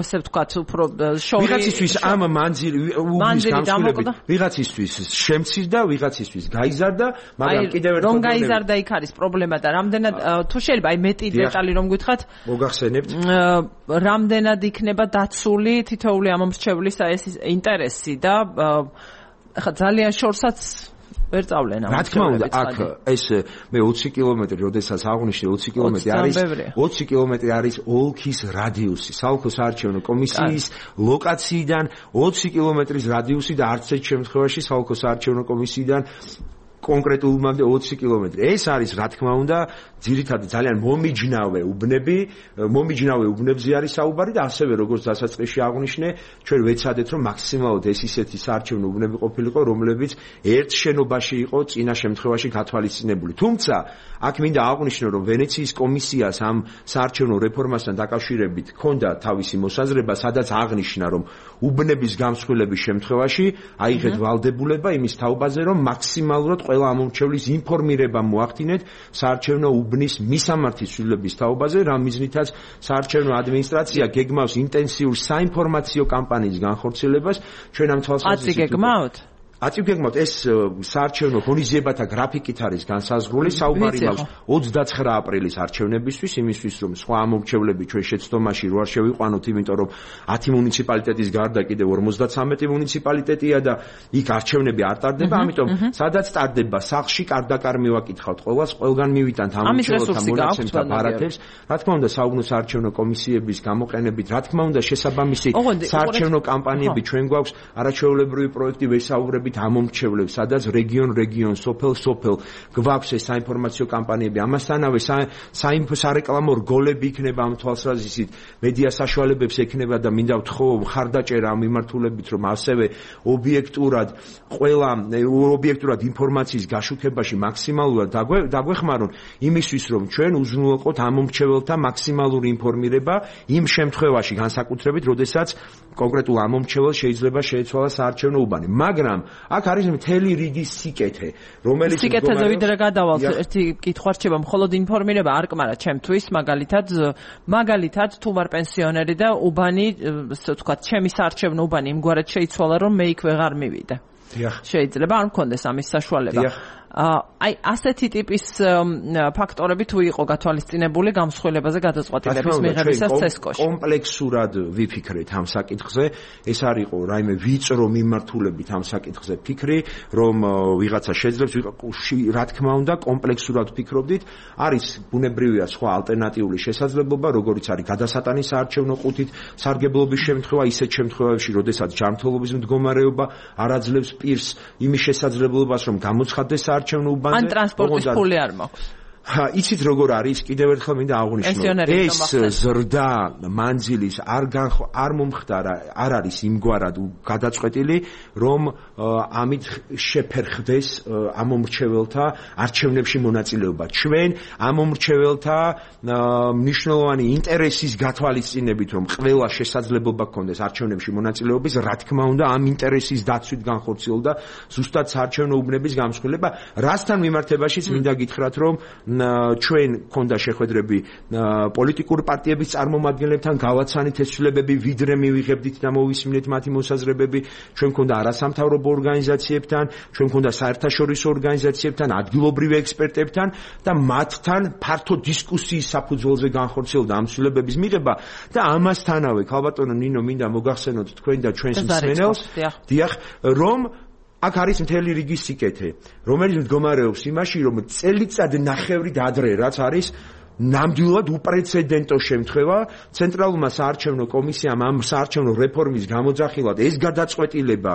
ესე ვთქვათ, უფრო შორი ვიღაცისთვის ამ უბნის გამსხვილებით, ვიღაცისთვის შემცირდა, ვიღაცისთვის გაიზარდა, მაგრამ კიდევ ერთხელ რომ გაიზარდა იქ არის პრობლემა და რამდენად თუ შეიძლება აი მეტი დეტალი რომ გითხრათ, მოგახსენებთ, რამდენად იქნება დაცული თითოეული ამომრჩევლის ეს ინტერესი და ხა ძალიან შორსაც ვერ წავლენ ამ. რა თქმა უნდა, აქ ეს მე 20 კილომეტრი, როდესაც აღნიშნე 20 კილომეტრი არის 20 კილომეტრი არის ოლქის რადიუსი, საოლქო საარჩევნო კომისიის ლოკაციიდან 20 კილომეტრის რადიუსი და არც ერთ შემთხვევაში საოლქო საარჩევნო კომისიიდან კონკრეტულმამდე 20 კილომეტრი. ეს არის რა თქმა უნდა ძირითადად ძალიან მომიჯნავე უბნებზე არის საუბარი და ასევე როგორც დასაწყისში აღნიშნე, ჩვენ ვეცადეთ რომ მაქსიმალურად ეს ისეთი საარჩევნო უბნები ყოფილიყო, რომლებიც ერთ შენობაში იყო წინა შემთხვევაში გათვალისწინებული. თუმცა აქ მინდა აღნიშნო, რომ ვენეციის კომისიას ამ საარჩევნო რეფორმასთან დაკავშირებით ჰქონდა თავისი მოსაზრება, სადაც აღნიშნა, რომ უბნების გამსხვილების შემთხვევაში აიღეთ ვალდებულება იმის თაობაზე, რომ მაქსიმალურად ყველა ამომრჩევლის ინფორმირება მოახდინეთ საარჩევნო უბნის მისამართის ცვლილების თაობაზე, რა მიზნითაც საარჩევნო ადმინისტრაცია გეგმავს ინტენსიურ საინფორმაციო კამპანიის განხორციელებას. ჩვენ ამ თვალსაზრისით აწიგეგმავთ ეს საარჩევნო ღონისძიებათა გრაფიკით არის განსაზღვრული, საუბარი მაქვს 29 აპრილის არჩევნებისთვის, იმისთვის რომ სხვა ამომრჩევლები ჩვენ შეცდომაში რო არ შევიყვანოთ, იმიტომ რომ 10 მუნიციპალიტეტის გარდა კიდევ 53 მუნიციპალიტეტია და იქ არჩევნები არ ტარდება, ამიტომ სადაც ტარდება სახლში კარდაკარ მივაკითხავთ ყველას, ყველგან მივიტანთ ამომრჩეველთა მონაცემს და ბარათებს. რა თქმა უნდა, საუბნო საარჩევნო კომისიების გამოყენებით, რა თქმა უნდა, შესაბამისი საარჩევნო კამპანიები ჩვენ გვაქვს, არაჩვეულებრივი პროექტი ვესაუბრებით ამომრჩევლებს, სადაც რეგიონ, სოფელ გვაქვს ეს საინფორმაციო კამპანიები. ამასთანავე სარეკლამო რგოლები იქნება ამ თვალსაზრისით, მედია საშუალებებს ექნება და მინდა ვთხოვ მხარდაჭერა ამ მიმართულებით, რომ ასევე ობიექტურად ინფორმაციის გაშუქებაში მაქსიმალურად დაგვეხმარონ იმისთვის, რომ ჩვენ უზრუნველყოთ ამომრჩეველთა მაქსიმალური ინფორმირება იმ შემთხვევაში, განსაკუთრებით, როდესაც კონკრეტულ ამომრჩეველს შეიძლება შეეცვალა საარჩევნო უბანი. მაგრამ აქ არის მთელი რიგი სიკეთე, რომელიც სიკეთეზე ვიდრე გადავალთ, ერთი კითხვა რჩება, მხოლოდ ინფორმირება არ კმარა ჩემთვის, მაგალითად თუ ვარ პენსიონერი და უბანი, ასე ვთქვათ, ჩემი საარჩევნო უბანი იმგვარად შეიცვალა, რომ მე იქ ვეღარ მივიდე. შეიძლება არ მქონდეს ამის საშუალება. აი ასეთი ტიპის ფაქტორები თუ იყო გათვალისწინებული გამსხვილებაზე გადაწყვეტილების მიღებისას ცესკოში. კომპლექსურად ვიფიქრეთ ამ საკითხზე, ეს არ იყო რაიმე ვიწრო მიმართულებით ამ საკითხზე ფიქრი, რომ ვიღაცა შეძლებს, რა თქმა უნდა, კომპლექსურად ვფიქრობდით, არის ბუნებრივია სხვა ალტერნატიული შესაძლებლობა, როგორიც არის გადასატანის საარჩევნო ყუთით სარგებლობის შემთხვევა, ისეთ შემთხვევებში, როდესაც ჯანმრთელობის მდგომარეობა არ აძლევს პირს იმის შესაძლებლობას, რომ გამოცხადდეს საარჩევნო უბანზე. ან ტრანსპორტის ფული არ მაქვს. იცით როგორ არის, კიდევ ერთხელ მინდა აღვნიშნო, ეს ზრდა მანძილის არ მომხდარა, არ არის იმგვარად გადაწყვეტილი, რომ ამით შეფერხდეს ამომრჩეველთა არჩევნებში მონაწილეობა. ჩვენ ამომრჩეველთა მნიშვნელოვანი ინტერესის გათვალისწინებით, რომ ყველა შესაძლებლობა გქონდეს არჩევნებში მონაწილეობის, რა თქმა უნდა, ამ ინტერესის დაცვით განხორციელდა ზუსტად საარჩევნო უბნების გამსხვილება, რასთან მიმართებაშიც მინდა გითხრათ, რომ ჩვენ ქონდა შეხვედრები პოლიტიკურ პარტიების წარმომადგენლებთან, გავაცანით ეს ცვლილებები, ვიდრე მივიღებდით და მოვისმინეთ მათი მოსაზრებები, ჩვენ ქონდა არასამთავრობო ორგანიზაციებთან, ჩვენ ქონდა საერთაშორისო ორგანიზაციებთან, ადგილობრივ ექსპერტებთან და მათთან ფართო დისკუსიის საფუძველზე განხორციელდა ამ ცვლილებების მიღება და ამასთანავე, ქალბატონო ნინო, მინდა მოგახსენოთ თქვენ და ჩვენს მსმენელს, რომ აქ არის მთელი რიგი სიკეთე, რომელიც მდგომარეობს იმაში, რომ წელიწად ნახევრით ადრე, რაც არის ნამდვილად უპრეცედენტო შემთხვევა, ცენტრალურმა საარჩევნო კომისიამ ამ საარჩევნო რეფორმის გამოძახილად ეს გადაწყვეტილება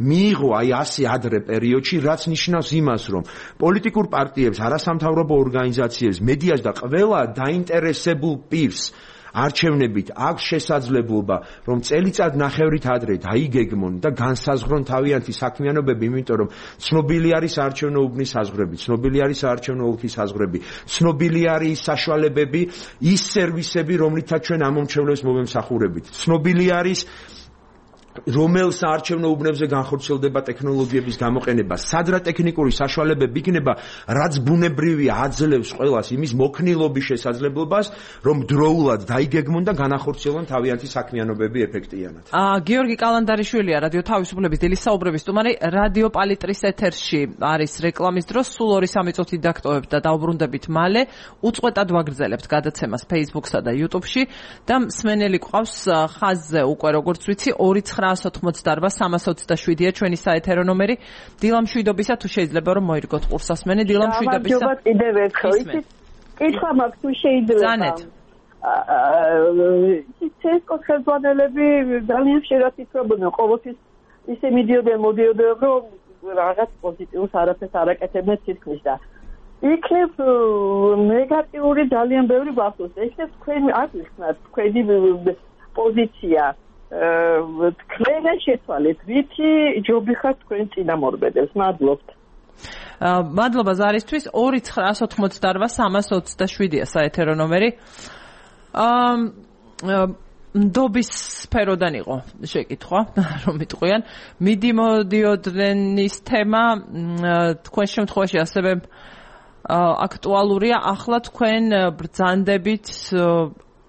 მიიღო აი ასე ადრე პერიოდში, რაც ნიშნავს იმას, რომ პოლიტიკურ პარტიებს, არასამთავრობო ორგანიზაციებს, მედიას და ყველა დაინტერესებულ პირს არჩევნებით აქვს შესაძლებლობა, რომ წელიწად ნახევრით ადრე დაიგეგმონ და განსაზღვრონ თავიანთი საქმიანობები, იმიტომ რომ ცნობილი არის საარჩევნო უბნის საზღვრები, ცნობილი არის საარჩევნო ოლქის საზღვრები, ცნობილი არის საშუალებები, ის სერვისები, რომლითაც ჩვენ ამომრჩევლებს მოვემსახურებით. ცნობილი არის რომელ საარჩევნო უბნებზე განხორციელდება ტექნოლოგიების გამოყენება, სად რა ტექნიკური საშუალებები იქნება, რაც ბუნებრივია აძლევს ყველას იმის მოქნილობის შესაძლებლობას, რომ დროულად დაიგეგმონ და განახორციელონ თავიანთი საქმიანობები ეფექტიანად. გიორგი კალანდარიშვილია, რადიო თავისუფლების დილის საუბრების სტუმარი, რადიო პალიტრის ეთერში არის რეკლამის დრო, სულ 2-3 წუთი დაგტოვებთ და დაუბრუნდებით მალე, უწყვეტად ვაგრძელებთ გადაცემას Facebook-სა და YouTube-ში და მსმენელი გვყავს ხაზზე უკვე როგორც ვიცი 29 988-327-ია ჩვენი საეთერო ნომერი. დილამშვიდობისა, თუ შეიძლება რომ მოირგოთ ყურსასმენი, დილამშვიდობისა. გამარჯობა კიდევ ერთხელ. კითხვა მაქვს, თუ შეიძლება. ზანეთ. ცესკოს ხელმძღვანელები ძალიან ხშირად ითვლებოდნენ ყოველთვის ისე მიდიოდნენ, რომ რაღაც პოზიტიურს არაფერს არ აკეთებდნენ თითქმის და იქნებ ნეგატიური ძალიან ბევრი ვახსოვს. იქნებ თქვენი არ ვიხსნათ თქვენი პოზიცია. თქვენ შეცვალეთ, რითი ჯობი ხარ თქვენ წინამორბედებს. მადლობთ. მადლობა ზარისთვის. 2988327-ია საეთერო ნომერი. ნდობის სფეროდან იყო შეკითხვა, რომ მიტყვიან. მიდიოდრენის თემა თქვენ შემთხვევაში ასევე აქტუალურია. ახლა თქვენ ბრძანდებით,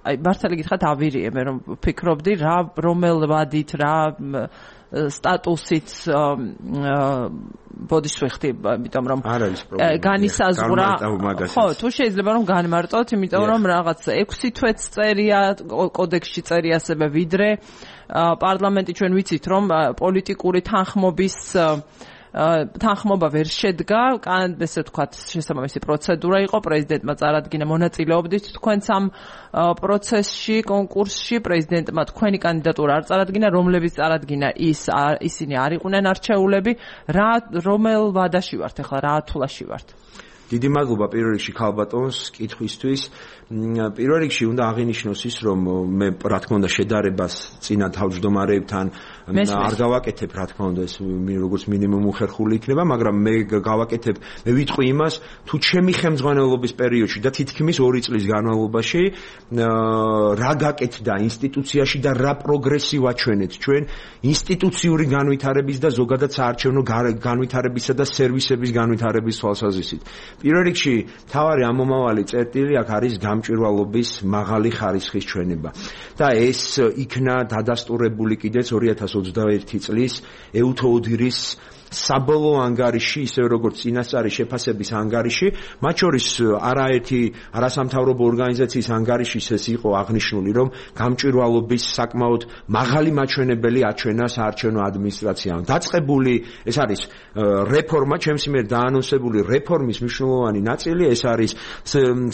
აი მართალი გითხრათ ავირიე, მე რომ ფიქრობდი რა რომელ ვადით, რა სტატუსით ბოდიშ ვეხტი, იმიტომ რომ განისაზღვრა. ხო, თუ შეიძლება რომ განმარტოთ, იმიტომ რომ რაღაც 6 თვეც წერია, კოდექსში წერია ასევე ვიდრე პარლამენტი ჩვენ ვიცით რომ პოლიტიკური თანხმობა ვერ შედგა, ესე ვთქვათ, შესაბამისი პროცედურა იყო, პრეზიდენტმა წარადგინა, მონაწილეობდით თქვენც ამ პროცესში, კონკურსში, პრეზიდენტმა თქვენი კანდიდატურა არ წარადგინა, რომლებიც წარადგინა ისინი არ იყვნენ არჩეულები, რომელ ვადაში ვართ ახლა, რა ათვლაში ვართ? დიდი მადლობა პირველ რიგში ქალბატონს კითხვისთვის. პირველ რიგში უნდა აღინიშნოს ის, რომ მე რა თქმა უნდა შედარებას წინა თავმჯდომარეებთან არ გავაკეთებ, რა თქმა უნდა, ეს როგორც მინიმუმ უხერხული იქნება, მაგრამ მე გავაკეთებ, მე ვიტყვი იმას, თუ ჩემი ხელმძღვანელობის პერიოდში და თითქმის 2 წლის განმავლობაში რა გაკეთდა ინსტიტუციაში და რა პროგრესი ვაჩვენეთ ჩვენ ინსტიტუციური განვითარების და ზოგადად საარჩევნო განვითარებისა და სერვისების განვითარების თვალსაზრისით. პირველ რიგში თავარი ამომავალი წერტილი აქ არის გამჭვირვალობის მაღალი ხარისხის ჩვენება და ეს იქნა დადასტურებული კიდეც 2021 წლის ეუთოუდირის საბოლოო ანგარიში, ისე როგორც წინასწარი შეფასების ანგარიში, მათ შორის არაერთი არასამთავრობო ორგანიზაციის ანგარიშიც ეს იყო აღნიშნული, რომ გამჭვირვალობის საკმაოდ მაღალი მაჩვენებელი აჩვენა საარჩევნო ადმინისტრაციამ. დაწყებული ეს არის რეფორმა, ჩემს მიერ დაანონსებული რეფორმის მნიშვნელოვანი ნაწილი, ეს არის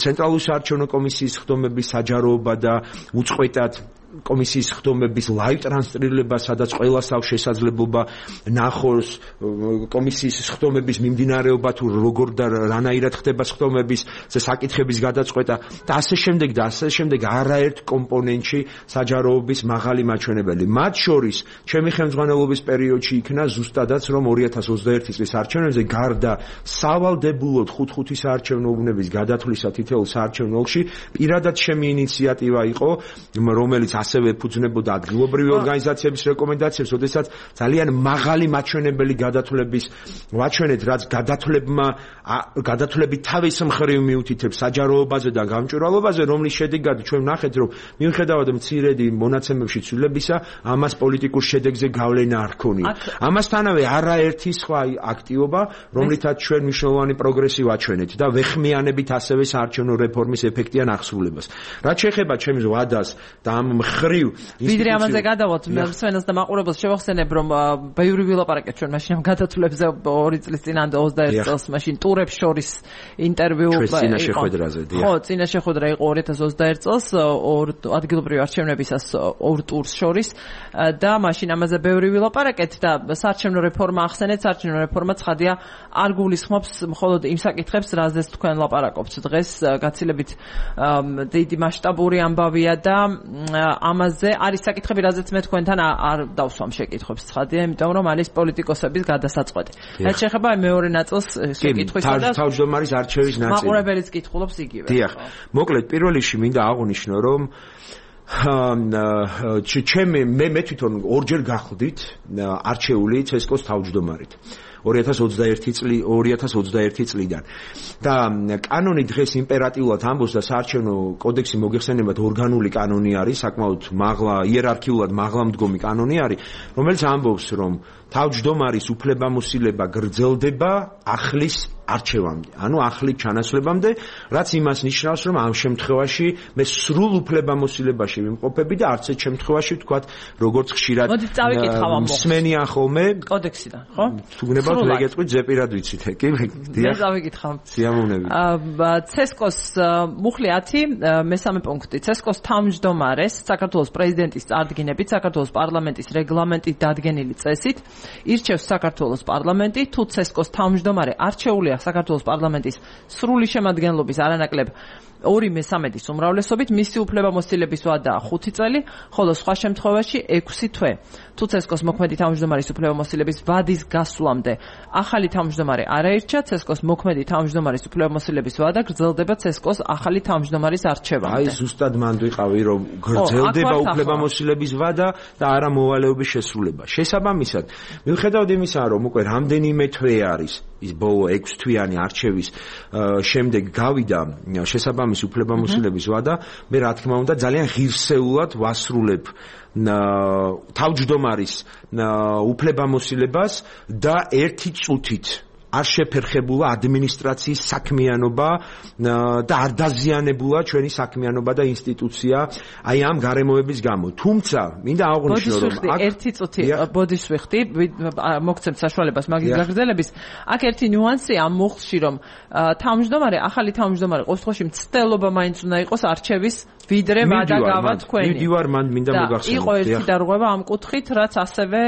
ცენტრალური საარჩევნო კომისიის ხდომების საჯაროობა და უწყვეტად კომისიის ხდომების ლაივ ტრანსლირება, სადაც ყველას აქვს შესაძლებლობა ნახოს კომისიის ხდომების მიმდინარეობა, თუ როგორ და რანაირად ხდება ხდომების საკითხების გადაწყვეტა და ასე შემდეგ არაერთ კომპონენტში საჯაროობის მაღალი მაჩვენებელი. მათ შორის ჩემი ხელმძღვანელობის პერიოდში იქნა ზუსტადაც რომ 2021 წლის არჩევნებზე გარდა სავალდებულოდ 5 საარჩევნო უბნების გადათვლისა თითოეულ საარჩევნო ოლქში პირადად ჩემი ინიციატივა იყო, რომელიც ასევე ეფუძნებოდა ადგილობრივი ორგანიზაციების რეკომენდაციებს, ოდესაც ძალიან მაღალი მაჩვენებელი გადათვლების ვაჩვენეთ, რაც გადათვლები თავის მხრივ მიუთითებს საჯაროობაზე და გამჭვირვალობაზე, რომლის შედეგად ჩვენ ვნახეთ, რომ მიუხედავად მცირედი მონაცემებში ცვლილებისა, ამას პოლიტიკურ შედეგზე გავლენა არ ჰქონია. ამასთანავე არაერთი სხვა აქტივობა, რომლითაც ჩვენ მნიშვნელოვანი პროგრესი ვაჩვენეთ და ვეხმიანებით ასევე საარჩევნო რეფორმის ეფექტიან აღსრულებას. რაც შეეხება ჩემს ვადას და ამ მხრივ ვიდრე ამაზე გადავალთ, მე სვენელს და მაყურებელს შევახსენებ, რომ ბევრი ვილაპარაკეთ ჩვენ მაშინ ამ გადათვლებზე 2 წლის წინ ან 21 წელს მაშინ ტურებს შორის ინტერვიუ იყო. ხო, წინა შეხვედრა იყო 2021 წელს ადგილობრივი არჩევნებისას 2 ტურს შორის და მაშინ ამაზე ბევრი ვილაპარაკეთ და საარჩევნო რეფორმა ახსენეთ, საარჩევნო რეფორმა ცხადია არ გულისხმობს მხოლოდ იმ საკითხებს, რაზეც თქვენ ლაპარაკობთ დღეს, გაცილებით დიდი მასშტაბური ამბავია და ამაზე არის საკითხები, რაზეც მე თქვენთან არ დავსვამ შეკითხვებს, ცხადია, იმიტომ რომ არის პოლიტიკოსების გადასაწყვეტი. რაც შეეხება მეორე ნაწილს შეკითხვისა და თავმჯდომარის არჩევის ნაწილი. მაყურებელიც კითხულობს იგივე. დიახ. მოკლედ, პირველ რიგში მინდა აღვნიშნო, რომ მე თვითონ ორჯერ გახდით არჩეული ცესკოს თავმჯდომარით. 2021 წლიდან და კანონი დღეს იმპერატიულად ამბობს და საარჩევნო კოდექსი მოგეხსენებათ ორგანული კანონი არის, საკმაოდ მაღლა იერარქიულად მაღლამდგომი კანონი არის, რომელიც ამბობს, რომ თავმჯდომარის უფლებამოსილება გრძელდება ახლის არჩევამდე, ანუ ახლით ჩანაცვლებამდე, რაც იმას ნიშნავს, რომ ამ შემთხვევაში მე სრულ უფლებამოსილებაში ვიმყოფები და არც ერთ შემთხვევაში ვთქვათ, როგორც ხშირად მსმენიან ხოლმე კოდექსიდან, ხო? თუ გნებავთ მეგეწყვით ზეპირად ვიცით, კი? მე დავიკითხავ. სიამოვნებით. ცესკოს მუხლი 10, მესამე პუნქტი. ცესკოს თავმჯდომარეს საქართველოს პრეზიდენტის წარდგინებით საქართველოს პარლამენტის რეგლამენტით დადგენილი წესით ირჩევს საქართველოს პარლამენტი, თუ ცესკოს თავმჯდომარე არჩეულია საქართველოს პარლამენტის სრული შემადგენლობის არანაკლებ 2/3 უმრავლესობით, მისი უფლებამოსილების ვადაა 5 წელი, ხოლო სხვა შემთხვევაში 6 თვე. თუ ცესკოს მოქმედი თავმჯდომარის უფლებამოსილების ვადის გასვლამდე ახალი თავმჯდომარე არ აირჩა, ცესკოს მოქმედი თავმჯდომარის უფლებამოსილების ვადა გრძელდება ცესკოს ახალი თავმჯდომარის არჩევამდე. აი ზუსტად მანდ ვიყავი, რომ გრძელდება უფლებამოსილების ვადა და არა მოვალეობის შესრულება. შესაბამისად, მიუხედავად იმისა, რომ უკვე რამდენიმე თვე არის ის ბოლო 6 თვიანი არჩევის შემდეგ გავიდა შესაბამის უფლებამოსილების ვადა, მე რა თქმა უნდა ძალიან ღირსეულად ვასრულებ თავმჯდომარის უფლებამოსილებას და ერთი წუთით არ შეფერხებულა ადმინისტრაციის საქმიანობა და არ დაზიანებულა ჩვენი საქმიანობა და ინსტიტუცია აი ამ გარემოების გამო. თუმცა მინდა აღვნიშნო, რომ აქ ერთი წუთი ბოდიშვიხდი, მოგცემთ საშუალებას მაგის გაგრძელების. აქ ერთი ნიუანსია ამ მუხლში, რომ თავმჯდომარე, ახალი თავმჯდომარე ყოველ შემთხვევაში მცდელობა მაინც უნდა იყოს არჩევის ვიდრე ვადა გავა თქვენი. მივდივარ, მან მინდა მოგახსენოთ. იყო ერთი დარღვევა ამ კუთხით, რაც ასევე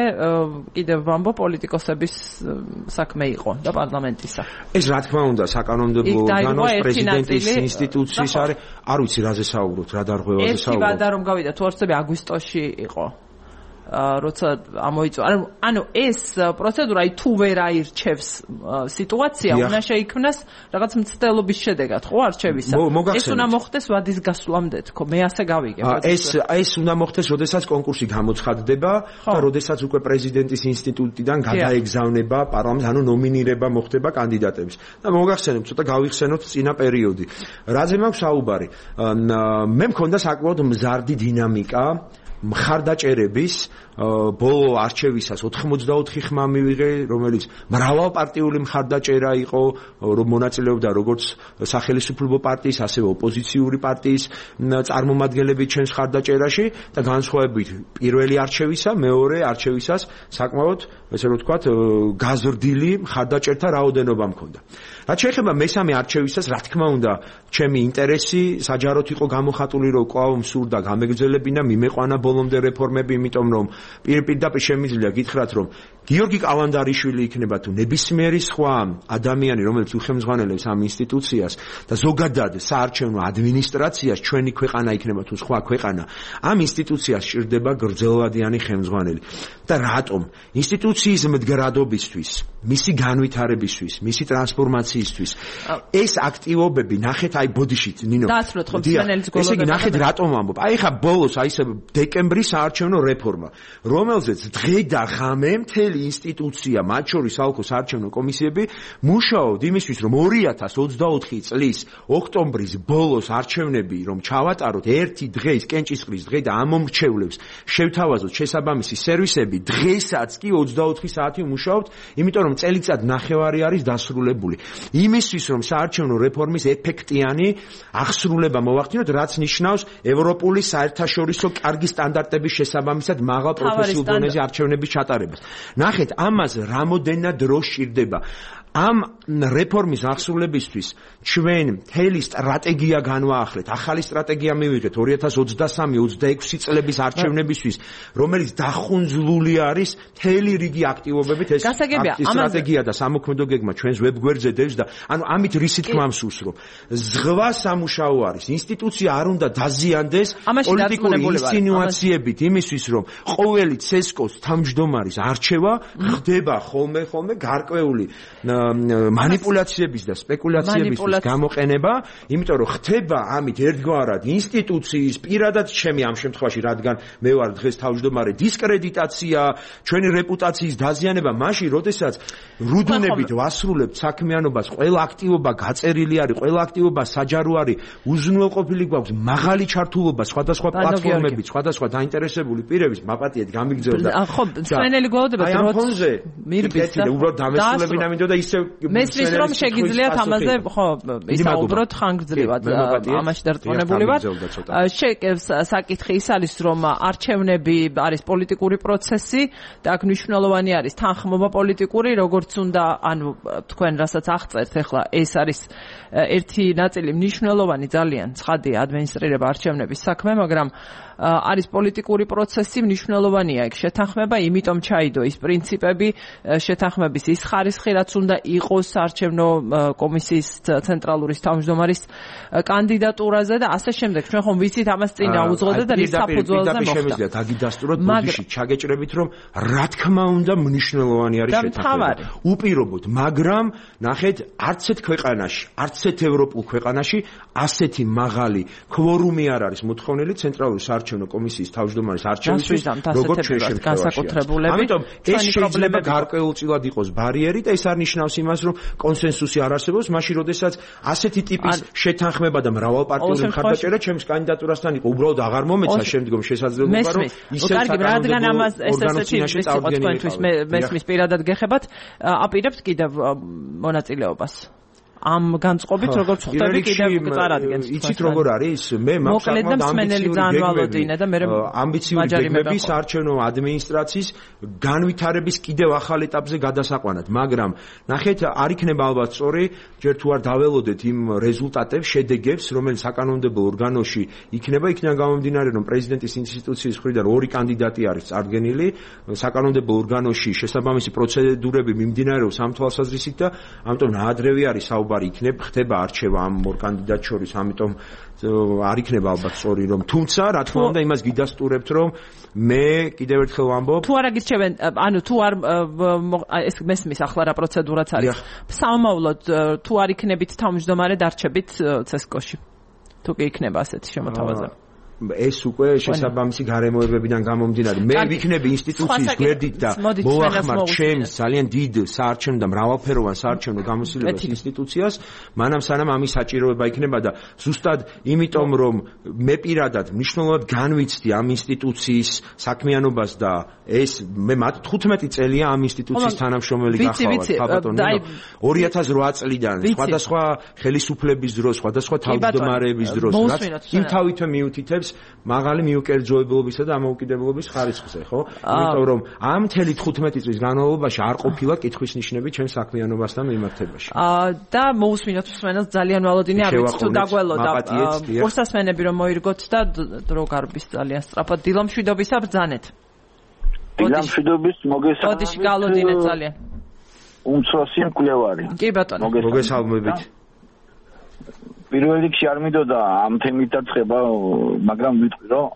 კიდევ ვამბო პოლიტიკოსების საქმე იყო და პარლამენტისა. ეს რა თქმა უნდა საკანონმდებლო ორგანოს პრეზიდენტის ინსტიტუციის არის, არ ვიცი რაზე საუბრობთ, რა დარღვევაზე საუბრობთ. ერთი ვადა რომ გავიდა თუ არცები აგვისტოში იყო. როცა ამოიწვა. ანუ ეს პროცედურა თუ ვერ აირჩევს სიტუაცია, უნდა შეიქმნას რაღაც მცდელობის შედეგად, ხო, არჩევისა. ეს უნდა მოხდეს ვადის გასვლამდე, თქო, მე ასე გავიგებ. ეს უნდა მოხდეს, როდესაც კონკურსი გამოცხადდება და როდესაც უკვე პრეზიდენტის ინსტიტუტიდან გადაეგზავნება პარლამენტს, ანუ ნომინირება მოხდება კანდიდატების. და მოგახსენებთ, ცოტა გავიხსენოთ წინა პერიოდი. რაზე მაქვს საუბარი? მე მქონდა საკმაოდ მზარდი დინამიკა მხარდაჭერების ბოლო არჩევისას 84 ხმა მივიღე, რომელიც მრავალპარტიული მხარდაჭერა იყო, რომ მონაწილეობდა როგორც სახელმწიფო პარტიის, ასევე ოპოზიციური პარტიის წარმომადგენლები ჩვენს მხარდაჭერაში და განსხვავებით პირველი არჩევისა, მეორე არჩევისას საკმაოდ, ესე რომ ვთქვათ, გაზრდილი მხარდაჭერთა რაოდენობა მქონდა. რაც შეეხება მესამე არჩევისას, რა თქმა უნდა, ჩემი ინტერესი საჯაროდ იყო გამოხატული, რომ კვლავ მსურდა გამეგრძელებინა, მიმეყვანა ბოლომდე რეფორმები, იმიტომ რომ პირდაპირ შემიძლია გითხრათ, რომ გიორგი კალანდარიშვილი იქნება თუ ნებისმიერი სხვა ადამიანი, რომელიც უხელმძღვანელებს ამ ინსტიტუციას და ზოგადად საარჩევნო ადმინისტრაციას, ჩვენი ქვეყანა იქნება თუ სხვა ქვეყანა, ამ ინსტიტუციას სჭირდება გრძელვადიანი ხელმძღვანელი. და რატომ? ინსტიტუციის მდგრადობისთვის, მისი განვითარებისთვის, მისი ტრანსფორმაციისთვის ეს აქტივობები ნახეთ აი ბოდიშით, ნინო. დაასრულოთ ხო მსმენელის გოლოდება. ესე იგი ნახეთ რატომ ამბობ? აი ხა ბოლოს აი ეს დეკემბრის საარჩევნო რეფორმა, რომელზეც დღე და ღამე მთელი ინსტიტუცია, მათ შორის საოლქო საარჩევნო კომისიები მუშაობთ იმისთვის, რომ 2024 წლის ოქტომბრის ბოლოს არჩევნები რომ ჩავატაროთ ერთი დღის კენჭისყრის დღე და ამ მომრჩევლებს შევთავაზოთ შესაბამისი სერვისები, დღესაც კი 24 საათი მუშაობთ, იმიტომ რომ წელიწად ნახევარი არის დასრულებული. იმისთვის რომ საარჩევნო რეფორმის ეფექტიანი აღსრულება მოვახდინოთ, რაც ნიშნავს ევროპული საერთაშორისო კარგი სტანდარტების შესაბამისად მაღალ პროფესიულ დონეზე არჩევნების ჩატარებას. ნახეთ, ამას რამოდენად დრო სჭირდება. ამ რეფორმის აღსრულებისთვის ჩვენ მთელი სტრატეგია განვაახლეთ. ახალი სტრატეგია მივიღეთ 2023-26 წლების არჩევნებისთვის, რომელიც დახუნძლული არის მთელი რიგი აქტივობებით. ეს სტრატეგია და სამოქმედო გეგმა ჩვენს ვებგვერდზე დევს და ანუ ამით რისი თქმა მსურს, რომ ზღვა სამუშაო არის. ინსტიტუცია არ უნდა დაზიანდეს პოლიტიკური ინსინუაციებით იმისთვის, რომ ყოველი ცესკოს თავმჯდომარის არჩევა ხდება ხოლმე გარკვეული მანიპულაციების და სპეკულაციების გამოყენება, იმიტომ რომ ხდება ამით ერთგვარად ინსტიტუციის, პირადად ჩემი ამ შემთხვევაში, რადგან მე ვარ დღეს თავმჯდომარე, დისკრედიტაცია, ჩვენი რეპუტაციის დაზიანება, მაშინ, როდესაც რუდუნებით ვასრულებთ საქმიანობას, ყველა აქტივობა გაწერილი არის, ყველა აქტივობა საჯარო არის, უზრუნველყოფილი გვაქვს მაღალი ჩართულობა სხვადასხვა პლატფორმებით, სხვადასხვა დაინტერესებული პირების მაპატიეთ გამიგრძელდა. ხო, მსმენელი გველოდება დროც მირბის და უბრალოდ დამესრულებინა მინდოდა ისე მესმის რომ შეგიძლიათ ამაზე ხო ისაუბროთ ხანგრძლივად ამაში დარწმუნებული ვარ. საკითხი ის არის რომ არჩევნები არის პოლიტიკური პროცესი და აქ მნიშვნელოვანი არის თანხმობა პოლიტიკური როგორც უნდა ანუ თქვენ რასაც აღწერთ ახლა ეს არის ერთი ნაწილი მნიშვნელოვანი ძალიან ცხადია ადმინისტრირება არჩევნების საქმე მაგრამ არის პოლიტიკური პროცესი მნიშვნელოვანია იქ შეთანხმება იმიტომ ჩაიდო ის პრინციპები შეთანხმების ის ხარისხი რაც უნდა იყოს არჩევნო კომისიის ცენტრალური თავმჯდომარის კანდიდატურაზე და ასე შემდეგ ჩვენ ხომ ვიცით ამას წინ აუძღოდა და რის საფუძველზე მოხდა შემიძლია დაგიდასტუროთ ბოდიში ჩაგეჭრებით რომ რა თქმა უნდა მნიშვნელოვანი არის შეთანხმება უპირობოდ მაგრამ ნახეთ არც ერთ ქვეყანაში არც ერთ ევროპულ ქვეყანაში ასეთი მაღალი კვორუმი არ არის მოთხოვნილი ცენტრალური საარჩევნო კომისიის თავმჯდომარის არჩევისთვის როგორც ჩვენ შემთხვევაში. ამიტომ ეს შეიძლება გარკვეულწილად იყოს ბარიერი და ეს არ ნიშნავს იმას რომ კონსენსუსი არ არსებობს მაშინ როდესაც ასეთი ტიპის შეთანხმება და მრავალპარტიული მხარდაჭერა ჩემს კანდიდატურასთან იყო უბრალოდ აღარ მომეცა შემდგომ შესაძლებლობა რომ ისევ რადგან ამას ესეთი თქვენთვის მესმის პირადად გეხებათ აპირებთ კიდევ მონაწილეობას ამ განწყობით როგორც ხვდები კიდევ წარადგენს იცით როგორ არის მე მაქვს ამბიციური გეგმები საარჩევნო ადმინისტრაციის განვითარების კიდევ ახალ ეტაპზე გადასაყვანად მაგრამ ნახეთ არ იქნება ალბათ სწორი ჯერ თუ არ დაველოდეთ იმ რეზულტატებს შედეგებს რომელიც საკანონმდებლო ორგანოში იქნება იქიდან გამომდინარე რომ პრეზიდენტის ინსტიტუციის მხრიდან ორი კანდიდატი არის წარდგენილი საკანონმდებლო ორგანოში შესაბამისი პროცედურები მიმდინარეობს ამ თვალსაზრისით და ამიტომ ნაადრევი არის იქნებ ხდება არჩევა ამ ორ კანდიდატ შორის ამიტომ არ იქნება ალბათ სწორი რომ თუმცა რა თქმა უნდა იმას გიდასტურებთ რომ მე კიდევ ერთხელ ვამბობ თუ არ აგირჩევენ ანუ თუ არ ეს მესმის ახლა რა პროცედურაც არის სამომავლოდ თუ არ იქნებით თავმჯდომარე დარჩებით ცესკოში თუ კი იქნება ასეთი შემოთავაზება ეს უკვე შესაბამისი გარემოებებიდან გამომდინარე მე ვიქნები ინსტიტუციის გვერდით და მოვახმარ ჩემს ძალიან დიდ საარჩევნო და მრავალფეროვან საარჩევნო გამოსილებას ინსტიტუციას მანამ სანამ ამის საჭიროება იქნება და ზუსტად იმიტომ რომ მე პირადად მნიშვნელოვნად განვიცდი ამ ინსტიტუციის საქმიანობას და ეს მე 15 წელია ამ ინსტიტუციის თანამშრომელი გახავად ხაბატონი 2008 წლიდან სხვადასხვა ხელისუფლების დროს სხვადასხვა თავმჯდომარეების დროს რაც იმ თავითვე მიუთითებს მაღალი მიუკერძოებულობისა და ამოუკიდებლობის ხარისხზე, ხო? იმიტომ რომ ამ მთელი 15 წლის განმავლობაში არ ყოფილა კითხვის ნიშნები ჩემს საქმიანობასთან მიმართებაში. და მოусმინოთ მსმენელს ძალიან ვალოდინი არ ვიცი თუ დაგველოდა. ყურსასმენები რომ მოირგოთ და დრო გარბის ძალიან სწრაფად დილამშვიდობისა ბრძანეთ. დილამშვიდობის მოგესალმებით. ბოდიში გალოდინეთ ძალიან. უმცროსი მკვლევარი. კი ბატონო. მოგესალმებით. პირველ რიგში არ მინდოდა ამ თემით დაწყება, მაგრამ ვიტყვი რომ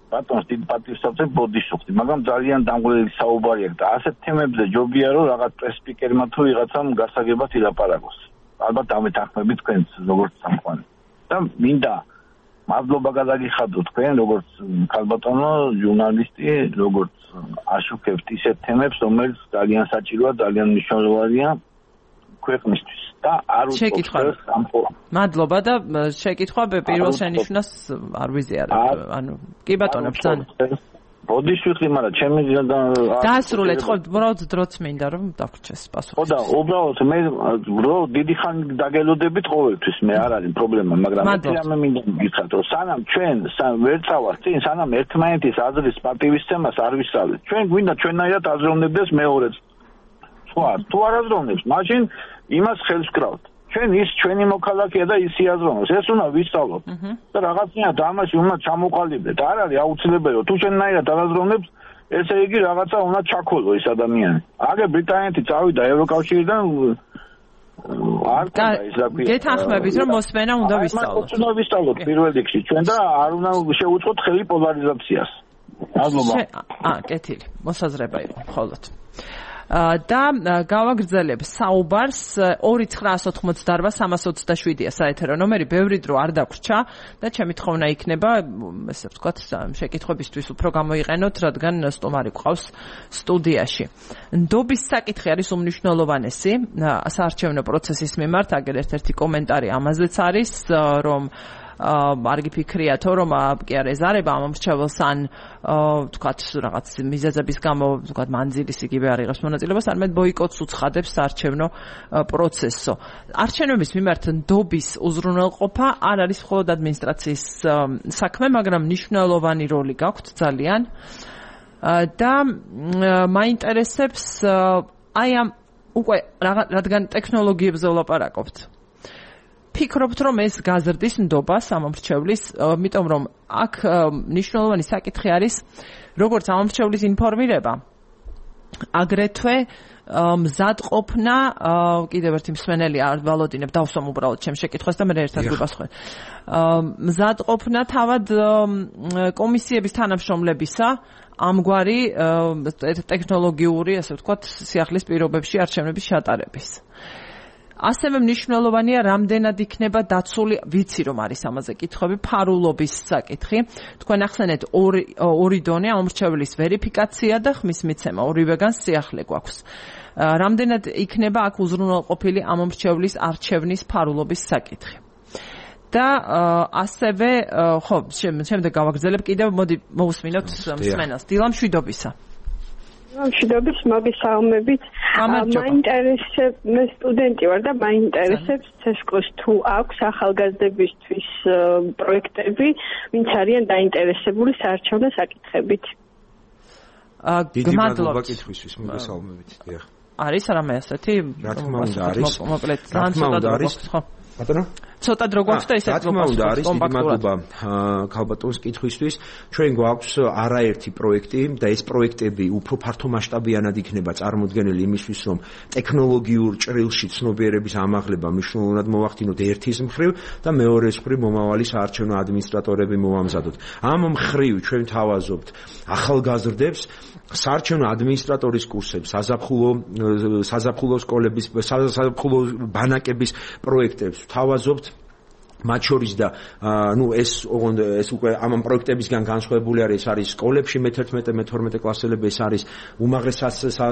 ბატონს დიდ პატივს ავწევ ბოდიში ვხდი, მაგრამ ძალიან დამღლელი საუბარი აქვს და ასეთ თემებზე ჯობია რომ რაღაც პრესპიკერმა თუ ვიღაცამ გასაგებად ილაპარაკოს. ალბათ დამეთანხმებით თქვენს როგორც სამყარო. და მინდა მადლობა გადაგიხადოთ თქვენ როგორც ქალბატონო ჟურნალისტი, როგორც აშუქებთ ისეთ თემებს, რომელიც ძალიან საჭიროა, ძალიან მნიშვნელოვანია ქვეყნისთვის. და არ შეკითხვა. მადლობა და შეკითხვა პირველ შენიშვნას არ ვიზიარებ. ანუ კი ბატონო ბრძანე. ბოდიში ვიხდი, მაგრამ ჩემი დაასრულეთ ხო, უბრალოდ დროც მინდა რომ დაგვრჩეს პასუხი. ხო და უბრალოდ მე რო დიდი ხანი დაგელოდებით ყოველთვის მე არ არის პრობლემა, მაგრამ მე მინდა გითხრათ რომ სანამ ჩვენ ვერ წავართ წინ, სანამ ერთმანეთის აზრის პატივისცემას არ ვისწავლეთ. ჩვენ გვინდა ჩვენაირად აზროვნებდეს მეორეც. თუ არ აზროვნებს, მაშინ იმას ხელს ვკრავთ. ჩვენ ის ჩვენი მოქალაქეა და ისი აზროვნებს. ეს უნდა ვისწავლოთ. და რაღაცნაირად ამაში უნდა ჩამოყალიბდეთ. არ არის აუცილებელი რომ თუ ჩვენაირად არ აზროვნებს, ესე იგი რაღაცა უნდა ჩაქოლო ეს ადამიანი. აგე ბრიტანეთი წავიდა ევროკავშირიდან არ ქონდა ის რა ქვია. გეთანხმებით რომ მოსმენა უნდა ვისწავლოთ. უნდა ვისწავლოთ პირველ რიგში ჩვენ და არ უნდა შევუწყოთ ხელი პოლარიზაციას. მადლობა. კეთილი. მოსაზრება იყო მხოლოდ. და გავაგრძელებ საუბარს 2988-327-ია საეთერო ნომერი, ბევრი დრო არ დაგვრჩა და ჩემი თხოვნა იქნება, ესე ვთქვათ, შეკითხვებისთვის უფრო გამოიყენოთ, რადგან სტუმარი გვყავს სტუდიაში. ნდობის საკითხი არის უმნიშვნელოვანესი საარჩევნო პროცესის მიმართ, აგერ ერთ-ერთი კომენტარი ამაზეც არის, რომ არ გიფიქრიათო რომ კი არ ეზარება ამ მრჩეველს ან თქვათ რაღაც მიზეზების გამო თქვათ მანძილის იგივე არ იღებს მონაწილეობას, არამედ ბოიკოტს უცხადებს საარჩევნო პროცესო. არჩევნების მიმართ ნდობის უზრუნველყოფა არ არის მხოლოდ ადმინისტრაციის საქმე, მაგრამ მნიშვნელოვანი როლი გაქვთ ძალიან და მაინტერესებს აი ამ უკვე რადგან ტექნოლოგიებზე ვლაპარაკობთ. ფიქრობთ რომ ეს გაზრდის ნდობა სამომრჩევლის, იმიტომ რომ აქ მნიშვნელოვანი საკითხი არის როგორც სამომრჩევლის ინფორმირება, აგრეთვე მზადყოფნა, კიდევ ერთი მსმენელი არ ვალოდინებ, დავსვამ უბრალოდ ჩემს შეკითხვას და მე ერთად გვიპასუხეთ. მზადყოფნა თავად კომისიების თანამშრომლებისა ამგვარი ტექნოლოგიური, ასე ვთქვათ, სიახლის პირობებში არჩევნების შეტარების. ასევე მნიშვნელოვანია რამდენად იქნება დაცული, ვიცი რომ არის ამაზე კითხვები, ფარულობის საკითხი. თქვენ ახსენეთ ორი დონე ამომრჩევლის ვერიფიკაცია და ხმის მიცემა, ორივეგან სიახლე გვაქვს. რამდენად იქნება აქ უზრუნველყოფილი ამომრჩევლის არჩევნის ფარულობის საკითხი. და ასევე ხო, შემდეგ გავაგრძელებ კიდევ, მოდი მოусმინოთ მსმენელს. დილა მშვიდობისა. მშვიდობის, მოგესალმებით. მაინტერესებს, მე სტუდენტი ვარ და მაინტერესებს ცესკოს თუ აქვს ახალგაზრდებისთვის პროექტები, ვინც არიან დაინტერესებული საარჩევნო საკითხებით. დიდი მადლობა კითხვისთვის, მოგესალმებით. დიახ. არის რამე ასეთი? რა თქმა უნდა არის. მოკლედ, ძალიან ცოტა არის. ხო. ბატონო? ცოტა დრო გვაქვს და ესეც მოგვაქვს. არის დიდი მადლობა ქალბატონის კითხვისთვის. ჩვენ გვაქვს არაერთი პროექტი და ეს პროექტები უფრო ფართო მასშტაბიანად იქნება წარმოდგენილი იმისთვის, რომ ტექნოლოგიურ ჭრილში ცნობიერების ამაღლება მნიშვნელოვნად მოვახდინოთ ერთის მხრივ და მეორეს მხრივ მომავალი საარჩევნო ადმინისტრატორები მოვამზადოთ. ამ მხრივ ჩვენ თავაზობთ ახალგაზრდებს საარჩევნო ადმინისტრატორის კურსებს, საზაფხულო სკოლების, საზაფხულო ბანაკების პროექტებს თავაზობთ. მათ შორის და ეს უკვე ამ პროექტებისგან განსხვავებული არის სკოლებში მე-11-მე-12 კლასელები, ეს არის უმაღლეს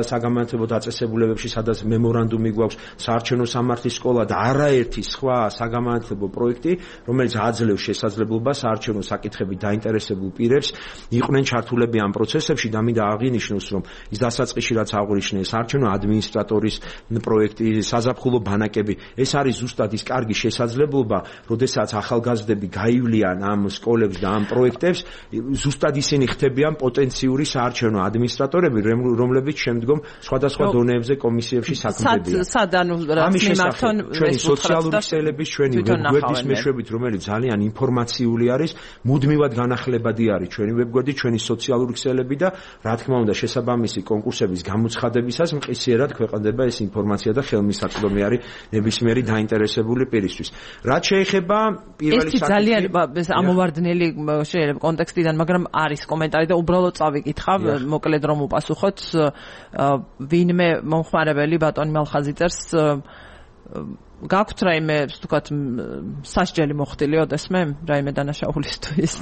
საგამანათლებლო დაწესებულებებში, სადაც მემორანდუმი გვაქვს, საარჩევნო სამართლის სკოლა და არაერთი სხვა საგამანათლებლო პროექტი, რომელიც აძლევს შესაძლებლობას საარჩევნო საკითხებით დაინტერესებულ პირებს იყვნენ ჩართულები ამ პროცესებში და მინდა აღინიშნოს, რომ ის დასაწყისში რაც აღვნიშნე, საარჩევნო ადმინისტრატორის პროექტი, საზაფხულო ბანაკები, ეს არის ზუსტად ის კარგი შესაძლებლობა, როდესაც ახალგაზრდები გაივლიან ამ სკოლებს და ამ პროექტებს, ზუსტად ისინი ხდებიან პოტენციური საარჩევნო ადმინისტრატორები, რომლებიც შემდგომ სხვადასხვა დონეებზე კომისიებში საქმდებიან. ამის შესახებ ჩვენი სოციალური ქსელების, ჩვენი ვებგვერდის მეშვეობით, რომელიც ძალიან ინფორმაციული არის, მუდმივად განახლებადი არის ჩვენი ვებგვერდი, ჩვენი სოციალური ქსელები და რა თქმა უნდა შესაბამისი კონკურსების გამოცხადებისას მყისიერად ქვეყნდება ეს ინფორმაცია და ხელმისაწვდომი არის ნებისმიერი დაინტერესებული პირისთვის. რაც შეეხება ეს ძალიან ამოვარდნელი შეიძლება კონტექსტიდან, მაგრამ არის კომენტარი და უბრალოდ წავიკითხავ, მოკლედ რომ უპასუხოთ. ვინმე მომხმარებელი ბატონი მალხაზიწერს გაქვთ რაიმე, ვთქვათ, სასჯელი მოხდილი ოდესმე, რაიმე დანაშაულისთვის.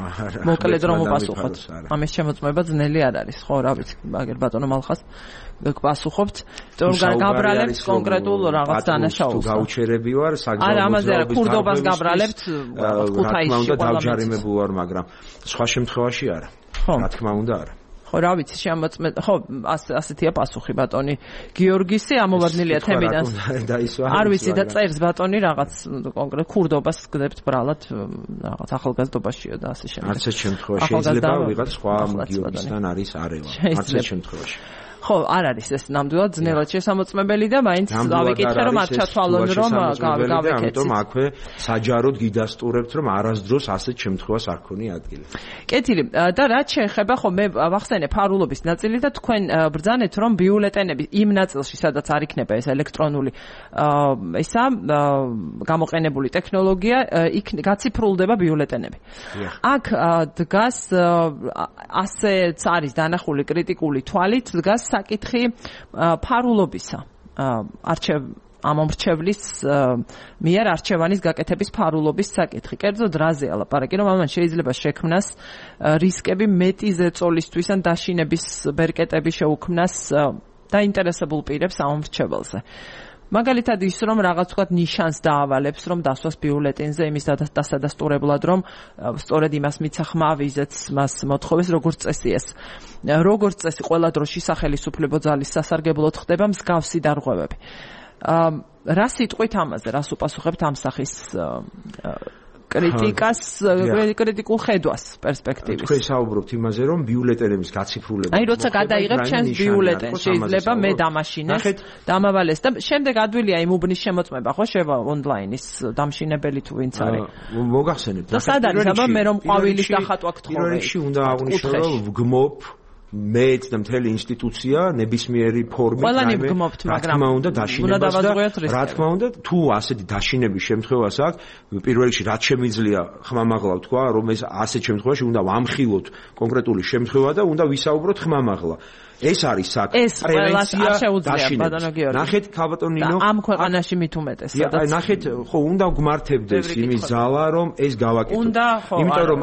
მოკლედ რომ უპასუხოთ. ამის შემოწმება ძნელი არ არის, ხო, რა ვიცი, მაგერ ბატონო მალხას გპასუხობთ, თორემ გაბრალებთ კონკრეტულ რაღაც დანაშაულს. თუ გაუჩერები ვარ, არა, ამაზე არა, ქურდობას გაბრალებთ, ქუთაისში და დავჯარიმებულ ვარ, მაგრამ სხვა შემთხვევაში არა. რა თქმა უნდა არა. ხო, რა ვიცი, შემოწმე, ხო, ასეთია პასუხი ბატონი გიორგისი, ამოვარდნილია თემიდან. არ ვიცი და წერს ბატონი რაღაც კონკრეტ ქურდობას გდებთ ბრალად, რაღაც ახალგაზრდობაშიო და ასე შემდეგ. არც ეს შემთხვევაში შეიძლება ვიღაც სხვა გიორგისთან არის არევა. არც ეს შემთხვევაში. ხო, არ არის ეს ნამდვილად ძნელად შესამოწმებელი და მაინც დავიკითხე რომ არ ჩათვალონ რომ გავეკეთეთ. ამიტომ აქვე საჯაროდ გიდასტურებთ რომ არასდროს ასეთ შემთხვევას არ ქონია ადგილი. კეთილი და რაც შეეხება ხო მე ვახსენე ფარულობის ნაწილი და თქვენ ბრძანეთ რომ ბიულეტენები იმ ნაწილში სადაც არ იქნება ეს ელექტრონული ისა გამოყენებული ტექნოლოგია იქ გაციფრულდება ბიულეტენები. აქ დგას ასეც არის დანახული კრიტიკული თვალით დგას საკითხი ფარულობისა ამომრჩევლის მიერ არჩევანის გაკეთების ფარულობის საკითხი. კერძოდ რაზეა ლაპარაკი, რომ ამან შეიძლება შექმნას რისკები მეტი ზეწოლისთვის ან დაშინების ბერკეტები შეუქმნას დაინტერესებულ პირებს ამომრჩეველზე. მაგალითად ის რომ რაღაც ვთქვათ ნიშანს დაავალებს რომ დასვას ბიულეტენზე იმის დასადასტურებლად რომ სწორედ იმას მიცა ხმა ვიზეც მას მოთხოვეს როგორც წესი ეს როგორც წესი ყველა დროში სახელმწიფო ძალის სასარგებლოდ ხდება მსგავსი დარღვევები რა სიტყვით ამაზე რას უპასუხებთ ამ სახის კრიტიკას კრიტიკულ ხედვას პერსპექტივის. თქვენ საუბრობთ იმაზე, რომ ბიულეტენების გაციფრულება. აი, როცა გადაიღებ ჩემს ბიულეტენს, შეიძლება მე დამაშინეს, დამავალეს და შემდეგ ადვილია იმ უბნის შემოწმება, ხო, შევა ონლაინის დამშინებელი თუ ვინც არის. მოგახსენებთ. და სად არის, აბა მე რომ ყვავილის დახატვა გთხოვე. პირველ რიგში უნდა აღვნიშნო, რომ ვგმობ მეც და მთელი ინსტიტუცია ნებისმიერი ფორმით ყველანი ვგმობთ, მაგრამ უნდა დაშინებას და რა თქმა უნდა თუ ასეთი დაშინების შემთხვევას აქვს პირველ რიგში რაც შემიძლია ხმამაღლა თქვა რომ ეს ასეთ შემთხვევაში უნდა ვამხილოთ კონკრეტული შემთხვევა და უნდა ვისაუბროთ ხმამაღლა ეს არის საქმე პრევენცია დაშინებას ნახეთ ქალბატონი ნინო ამ ქვეყანაში მით უმეტეს სადაც ნახეთ ხო უნდა გვმართებდეს იმის ძალა რომ ეს გავაკეთოთ იმიტომ რომ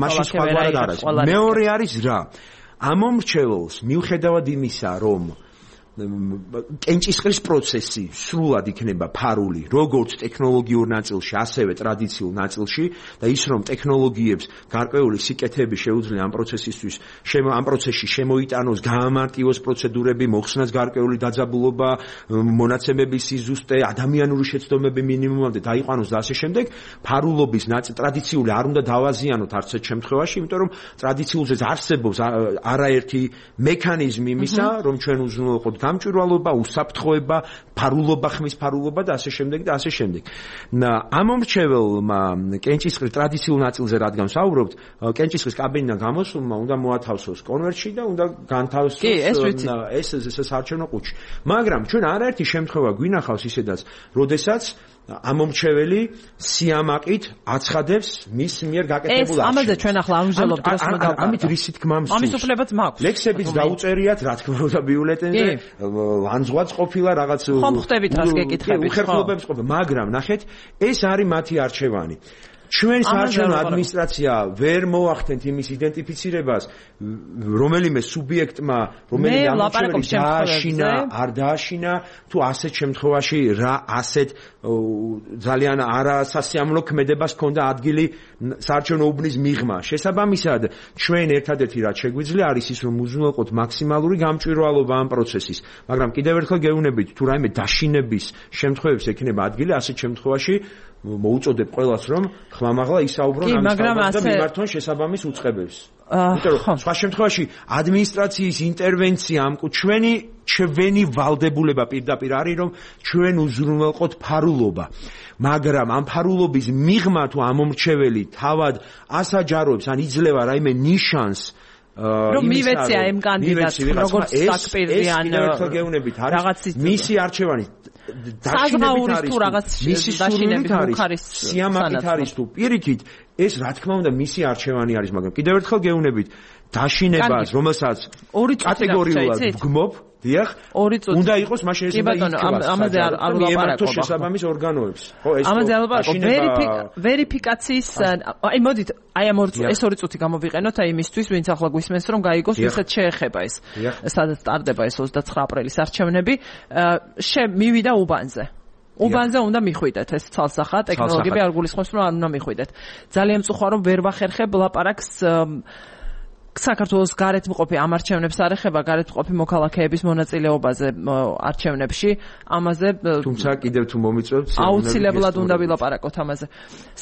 მაშინ სხვაგვარად არის მეორე არის რა ამომრჩეველს მიუხედავად იმისა რომ კენჭისყრის პროცესი სრულად იქნება ფარული როგორც ტექნოლოგიურ ნაწილში ასევე ტრადიციულ ნაწილში და ის რომ ტექნოლოგიებს გარკვეული სიკეთეები შეუძლია ამ პროცესისთვის ამ პროცესში შემოიტანოს გაამარტივოს პროცედურები მოხსნას გარკვეული დაძაბულობა მონაცემების სიზუსტე ადამიანური შეცდომები მინიმუმამდე დაიყვანოს და ასე შემდეგ ფარულობის ტრადიციული არ უნდა დავაზიანოთ არც ერთ შემთხვევაში იმიტომ რომ ტრადიციულზეც არსებობს არაერთი მექანიზმი იმისა რომ ჩვენ უზრუნველყოთ გამჭვირვალობა, უსაფრთხოება, ფარულობა, ხმის ფარულობა და ასე შემდეგ და ასე შემდეგ. ამომრჩეველმა კენჭისყრის ტრადიციულ ნაწილზე რადგან ვსაუბრობთ, კენჭისყრის კაბინიდან გამოსულმა უნდა მოათავსოს კონვერტში და უნდა განთავსოს ეს საარჩევნო ყუთში. მაგრამ ჩვენ არაერთი შემთხვევა გვინახავს ისედაც, როდესაც ამომრჩეველი სიამაყით აცხადებს მის მიერ გაკეთებულ არჩევნებს. ამაზე ჩვენ ახლა ამჟამად დროს მოდავყავთ. ამით რისი თქმა მსურს. ამის უფლებაც მაქვს. ლექსებიც დაუწერიათ, რა თქმა უნდა, ბიულეტენზე. ლანძღვაც ყოფილა რაღაც ხომ ხვდებით რას გეკითხებით, უხერხლობებს ყოფილა, მაგრამ ნახეთ, ეს არის მათი არჩევანი. ჩვენ საარჩევნო ადმინისტრაცია ვერ მოახდენთ იმის იდენტიფიცირებას, რომელიმე სუბიექტმა, რომელიმე ამომრჩეველი დააშინა, არ დააშინა, თუ ასეთ შემთხვევაში რა ასეთ ძალიან არასასიამოვნო ქმედებას ჰქონდა ადგილი საარჩევნო უბნის მიღმა. შესაბამისად, ჩვენ ერთადერთი რაც შეგვიძლია არის ის, რომ უზრუნველყოთ მაქსიმალური გამჭვირვალობა ამ პროცესის. მაგრამ კიდევ ერთხელ გეუბნებით, თუ რაიმე დაშინების შემთხვევებს ექნება ადგილი, ასეთ შემთხვევაში მოუწოდებ ყველას რომ ხმამაღლა ისაუბრონ ამ საკითხზე და მიმართონ შესაბამის უწყებებს. იმიტომ რომ სხვა შემთხვევაში ადმინისტრაციის ინტერვენცია ამ ჩვენი ვალდებულება პირდაპირ არის რომ ჩვენ უზრუნველყოთ ფარულობა. მაგრამ ამ ფარულობის მიღმა თუ ამომრჩეველი თავად ასაჯაროებს ან იძლევა რაიმე ნიშანს რომ მივეცია ამ კანდიდატს როგორც საკპირდი ან რაღაც მისი არჩევანი საზღაურის თუ რაღაც დაშინებით არის სიამაყით არის თუ პირიქით ეს რა თქმა უნდა მისი არჩევანი არის მაგრამ კიდევ ერთხელ გეუბნებით დაშინებას რომელსაც კატეგორიულად ვგმობ დიახ უნდა იყოს მაშინ ეს უნდა იქნება ამაზე არ ვლაპარაკობ შესაბამის ორგანოებს ხო ეს ამაზე არ ვლაპარაკობ ვერიფიკაციის აი მოდით აი ამ ეს ორი წუთი გამოვიყენოთ აი იმისთვის ვინც ახლა გვისმენს რომ გაიგოს ვისაც შეეხება ეს სადაც ტარდება ეს 29 აპრილის არჩევნები მივიდა უბანზე უბანზე უნდა მიხვიდეთ ეს ცალსახა ტექნოლოგიები არ გულისხმობს რომ არ უნდა მიხვიდეთ ძალიან მწუხარ რომ ვერ ვახერხებ ლაპარაკს საქართველოს გარეთმყოფი ამ არჩევნებს არ ეხება გარეთმყოფი მოქალაქეების მონაწილეობაზე არჩევნებში ამაზე თუმცა კიდევ თუ მომიწევთ აუცილებლად უნდა ვილაპარაკოთ ამაზე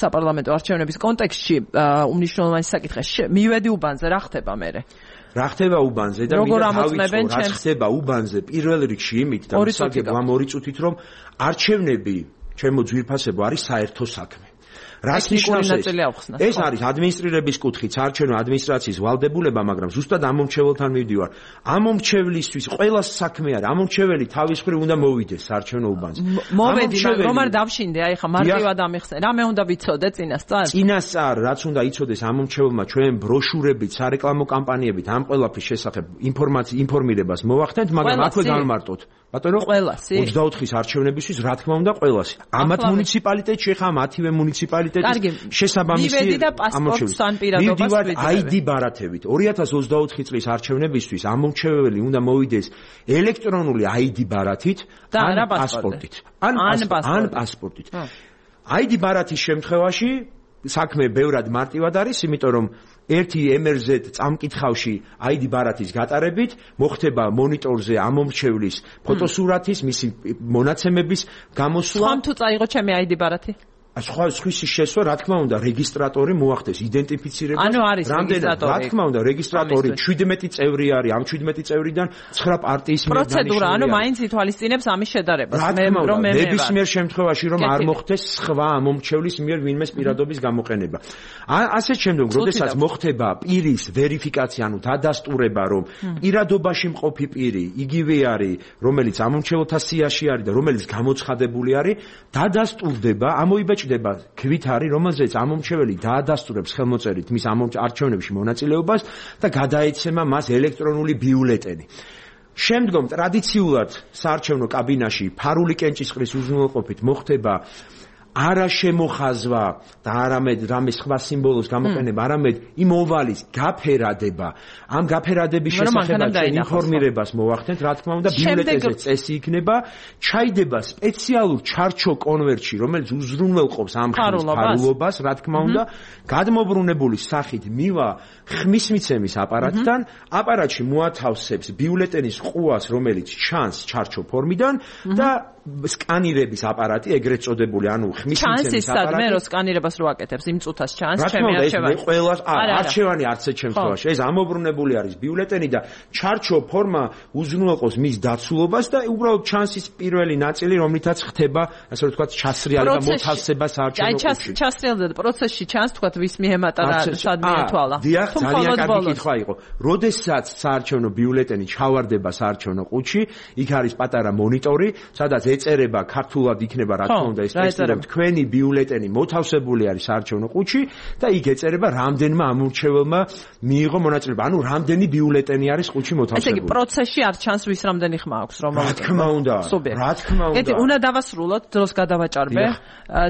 საპარლამენტო არჩევნების კონტექსტში უმნიშვნელოვანესი საკითხი მივედი უბანზე რა ხდება მერე რა ხდება უბანზე და რა ხდება უბანზე პირველ რიგში იმით და მოსაგებ ამ ორი წუთით რომ არჩევნები ჩემო ძვირფასებო არის საერთო საქმე რას ნიშნავს ეს არის ადმინისტრირების კუთხით საარჩევნო ადმინისტრაციის ვალდებულება მაგრამ ზუსტად ამომრჩეველთან მივდივარ ამომრჩევლისთვის ყველა საქმე არის ამომრჩეველი თავის მხრივ უნდა მოვიდეს საარჩევნო უბანზე მოვედი რომ არ დავშინდე აი ხა მარტივად ამიხსენ რამე უნდა ვიცოდე წინასწარ რაც უნდა იცოდეს ამომრჩეველმა ჩვენ ბროშურებით სარეკლამო კამპანიებით ამ ყველაფრის შესახებ ინფორმირებას მოვახდენთ მაგრამ აქვე განმარტოთ ბატონო 24-ის არჩევნებისთვის რა თქმა უნდა ყველას ამათ მუნიციპალიტეტში ხა მათივე მუნიციპალიტეტში კომიტეტის შესაბამისი მივდივართ ID ბარათებით 2024 წლის არჩევნებისთვის ამომრჩეველი უნდა მოვიდეს ელექტრონული ID ბარათით ან პასპორტით ან პასპორტით ID ბარათის შემთხვევაში საქმე ბევრად მარტივად არის იმიტომ რომ ერთი MRZ წამკითხავში ID ბარათის გატარებით მოხდება მონიტორზე ამომრჩევლის ფოტოსურათის მისი მონაცემების გამოსვლა ხომ თუ წაიღო ჩემი ID ბარათი სხვის შესვა რა თქმა უნდა რეგისტრატორი მოახდეს იდენტიფიცირებას რამდენად რა თქმა უნდა რეგისტრატორი 17 წევრი არის ამ 17 წევრიდან 9 პარტიის მიერ პროცედურა ანუ მაინც ითვალისწინებს ამის შედარებას მე ნებისმიერ შემთხვევაში რომ არ მოხდეს სხვა ამომრჩევლის მიერ ვინმეს პირადობის გამოყენება ასეთ შემდგომ როდესაც მოხდება პირის ვერიფიკაცია ანუ დადასტურება რომ პირადობაში მყოფი პირი იგივე არის რომელიც ამომრჩეველთა სიაში არის და რომელიც გამოცხადებული არის დადასტურდება ამოიბეჭდება ქვით არის რომელზეც ამომრჩეველი დაადასტურებს ხელმოწერით მის არჩევნებში მონაწილეობას და გადაეცემა მას ელექტრონული ბიულეტენი შემდგომ ტრადიციულად საარჩევნო კაბინაში ფარული კენჭისყრის უზრუნველყოფით მოხდება არა შემოხაზვა და არამედ რამე სხვა სიმბოლოს გამოყენება, არამედ იმ ოვალის გაფერადება. ამ გაფერადების შესახებ ინფორმირებას მოვახდენთ, რა თქმა უნდა, ბიულეტენზე წესი იქნება, ჩაიდება სპეციალურ ჩარჩო კონვერტში, რომელიც უზრუნველყოფს ამ ხმის ფარულობას, რა თქმა უნდა, გადმობრუნებული სახით მივა ხმის მიცემის აპარატთან, აპარატში მოათავსებს ბიულეტენის ყუას, რომელიც ჩანს ჩარჩო ფორმიდან და სკანირების აპარატი ეგრეთ წოდებული, ანუ ხმის მიცემის აპარატი. მე რო სკანირებას რო აკეთებს, იმ წუთას ჩანს ჩემი არჩევანი. ყველას არჩევანი არც ერთ შემთხვევაში. ეს ამობრუნებული არის ბიულეტენი და ჩარჩო ფორმა უზრუნველყოფს მის დაცულობას და უბრალოდ ჩანს ის პირველი ნაწილი, რომლითაც ხდება, ასე ვთქვათ, ჩასრიალება, მოთავსება საარჩევნო კუთხეში. ჩასრიალდება პროცესში ჩანს, თქვათ, ვის მიემატა და სად მიეთვალა. დიახ, ძალიან კარგი კითხვა იყო. როდესაც საარჩევნო ბიულეტენი ჩავარდება საარჩევნო ყუთში, იქ არის პატარა მონიტორი, სადაც ეწერება ქართულად იქნება რა თქმა უნდა ეს ტექსტი რომ თქვენი ბიულეტენი მოთავსებული არის საარჩევნო ყუთში და იქ ეწერება რამდენმა ამორჩეველმა მიიღო მონაწილეობა. ანუ რამდენი ბიულეტენი არის ყუთში მოთავსებული. ესე იგი პროცესში არ ჩანს ვის რამდენი ხმა აქვს რომ რა თქმა უნდა. რა თქმა უნდა. უნდა დავასრულოთ, დროს გადავაჭარბე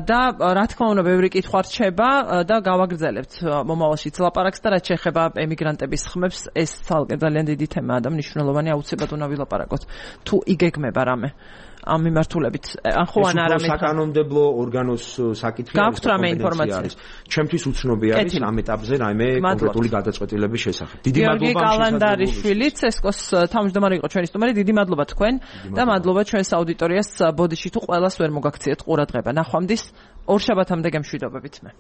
და რა თქმა უნდა ბევრი კითხვა რჩება და გავაგრძელებთ მომავალშიც ლაპარაკს და რაც შეეხება ემიგრანტების ხმებს ეს თალკე ძალიან დიდი თემაა და მნიშვნელოვანი აუცილებლად უნდა ვილაპარაკოთ. თუ იგეგმება რამე ამ მიმართულებით ან ხო ან არა მე საკანონმდებლო ორგანოს საკითხი აქვს რამე ინფორმაცია არის ჩემთვის უცნობი არის ამ ეტაპზე რაიმე კონკრეტული გადაწყვეტილების შესახებ დიდი მადლობა კალანდარიშვილი ცესკოს თავმჯდომარე იყო ჩვენი სტუმარი დიდი მადლობა თქვენ და მადლობა ჩვენს აუდიტორიას ბოდიში თუ ყველას ვერ მოგაქციეთ ყურადღება ნახვამდის ორშაბათამდე გემშვიდობებით მე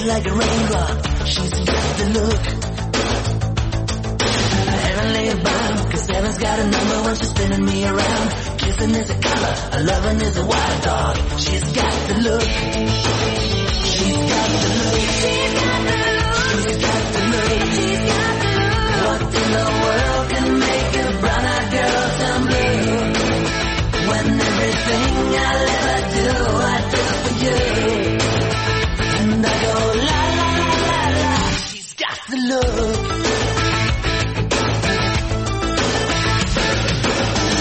like a raindrop, she's got the look. Heavenly bound, 'cause heaven's got a number when she's spinning me around. Kissing is a color, a loving is a wild dog. She's got the look. She's got the look. She's got the look. She's got the look. She's got the look. What in the world can make a brown-eyed girl turn blue? When everything I'll ever do, I do for you. And I go la la la la la. She's got the look.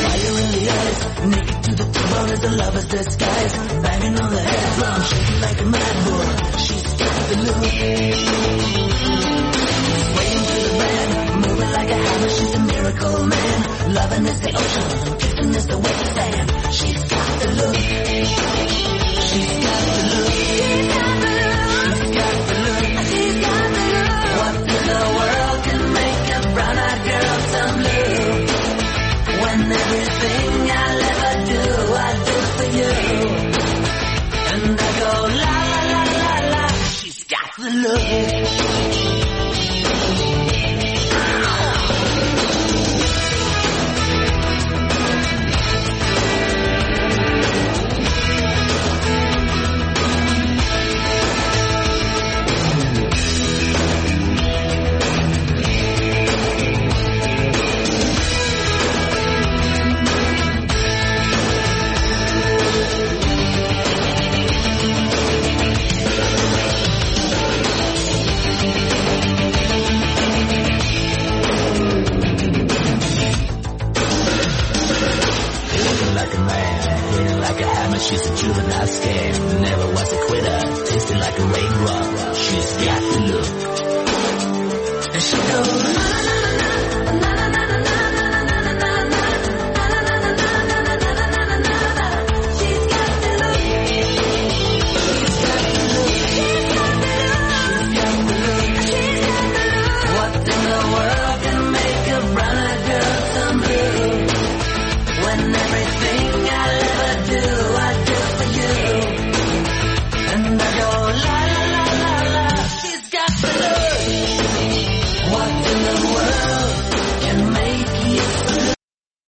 Fire in the eyes, naked to the bone as a lover's disguise. Banging on the head drum, shaking like a mad bull. She's got the look. Swaying to the band, moving like a hammer. She's a miracle man. Loving is the ocean, kissing is the wet sand. She's got the look. She's got the look. She's got the look. What in the world can make a brown-eyed girl turn blue? When everything I'll ever do, I do for you. And I go la la la la la. She's got the look. She's a juvenile scam, never was a quitter, tasting like a raindrop. She's got the look.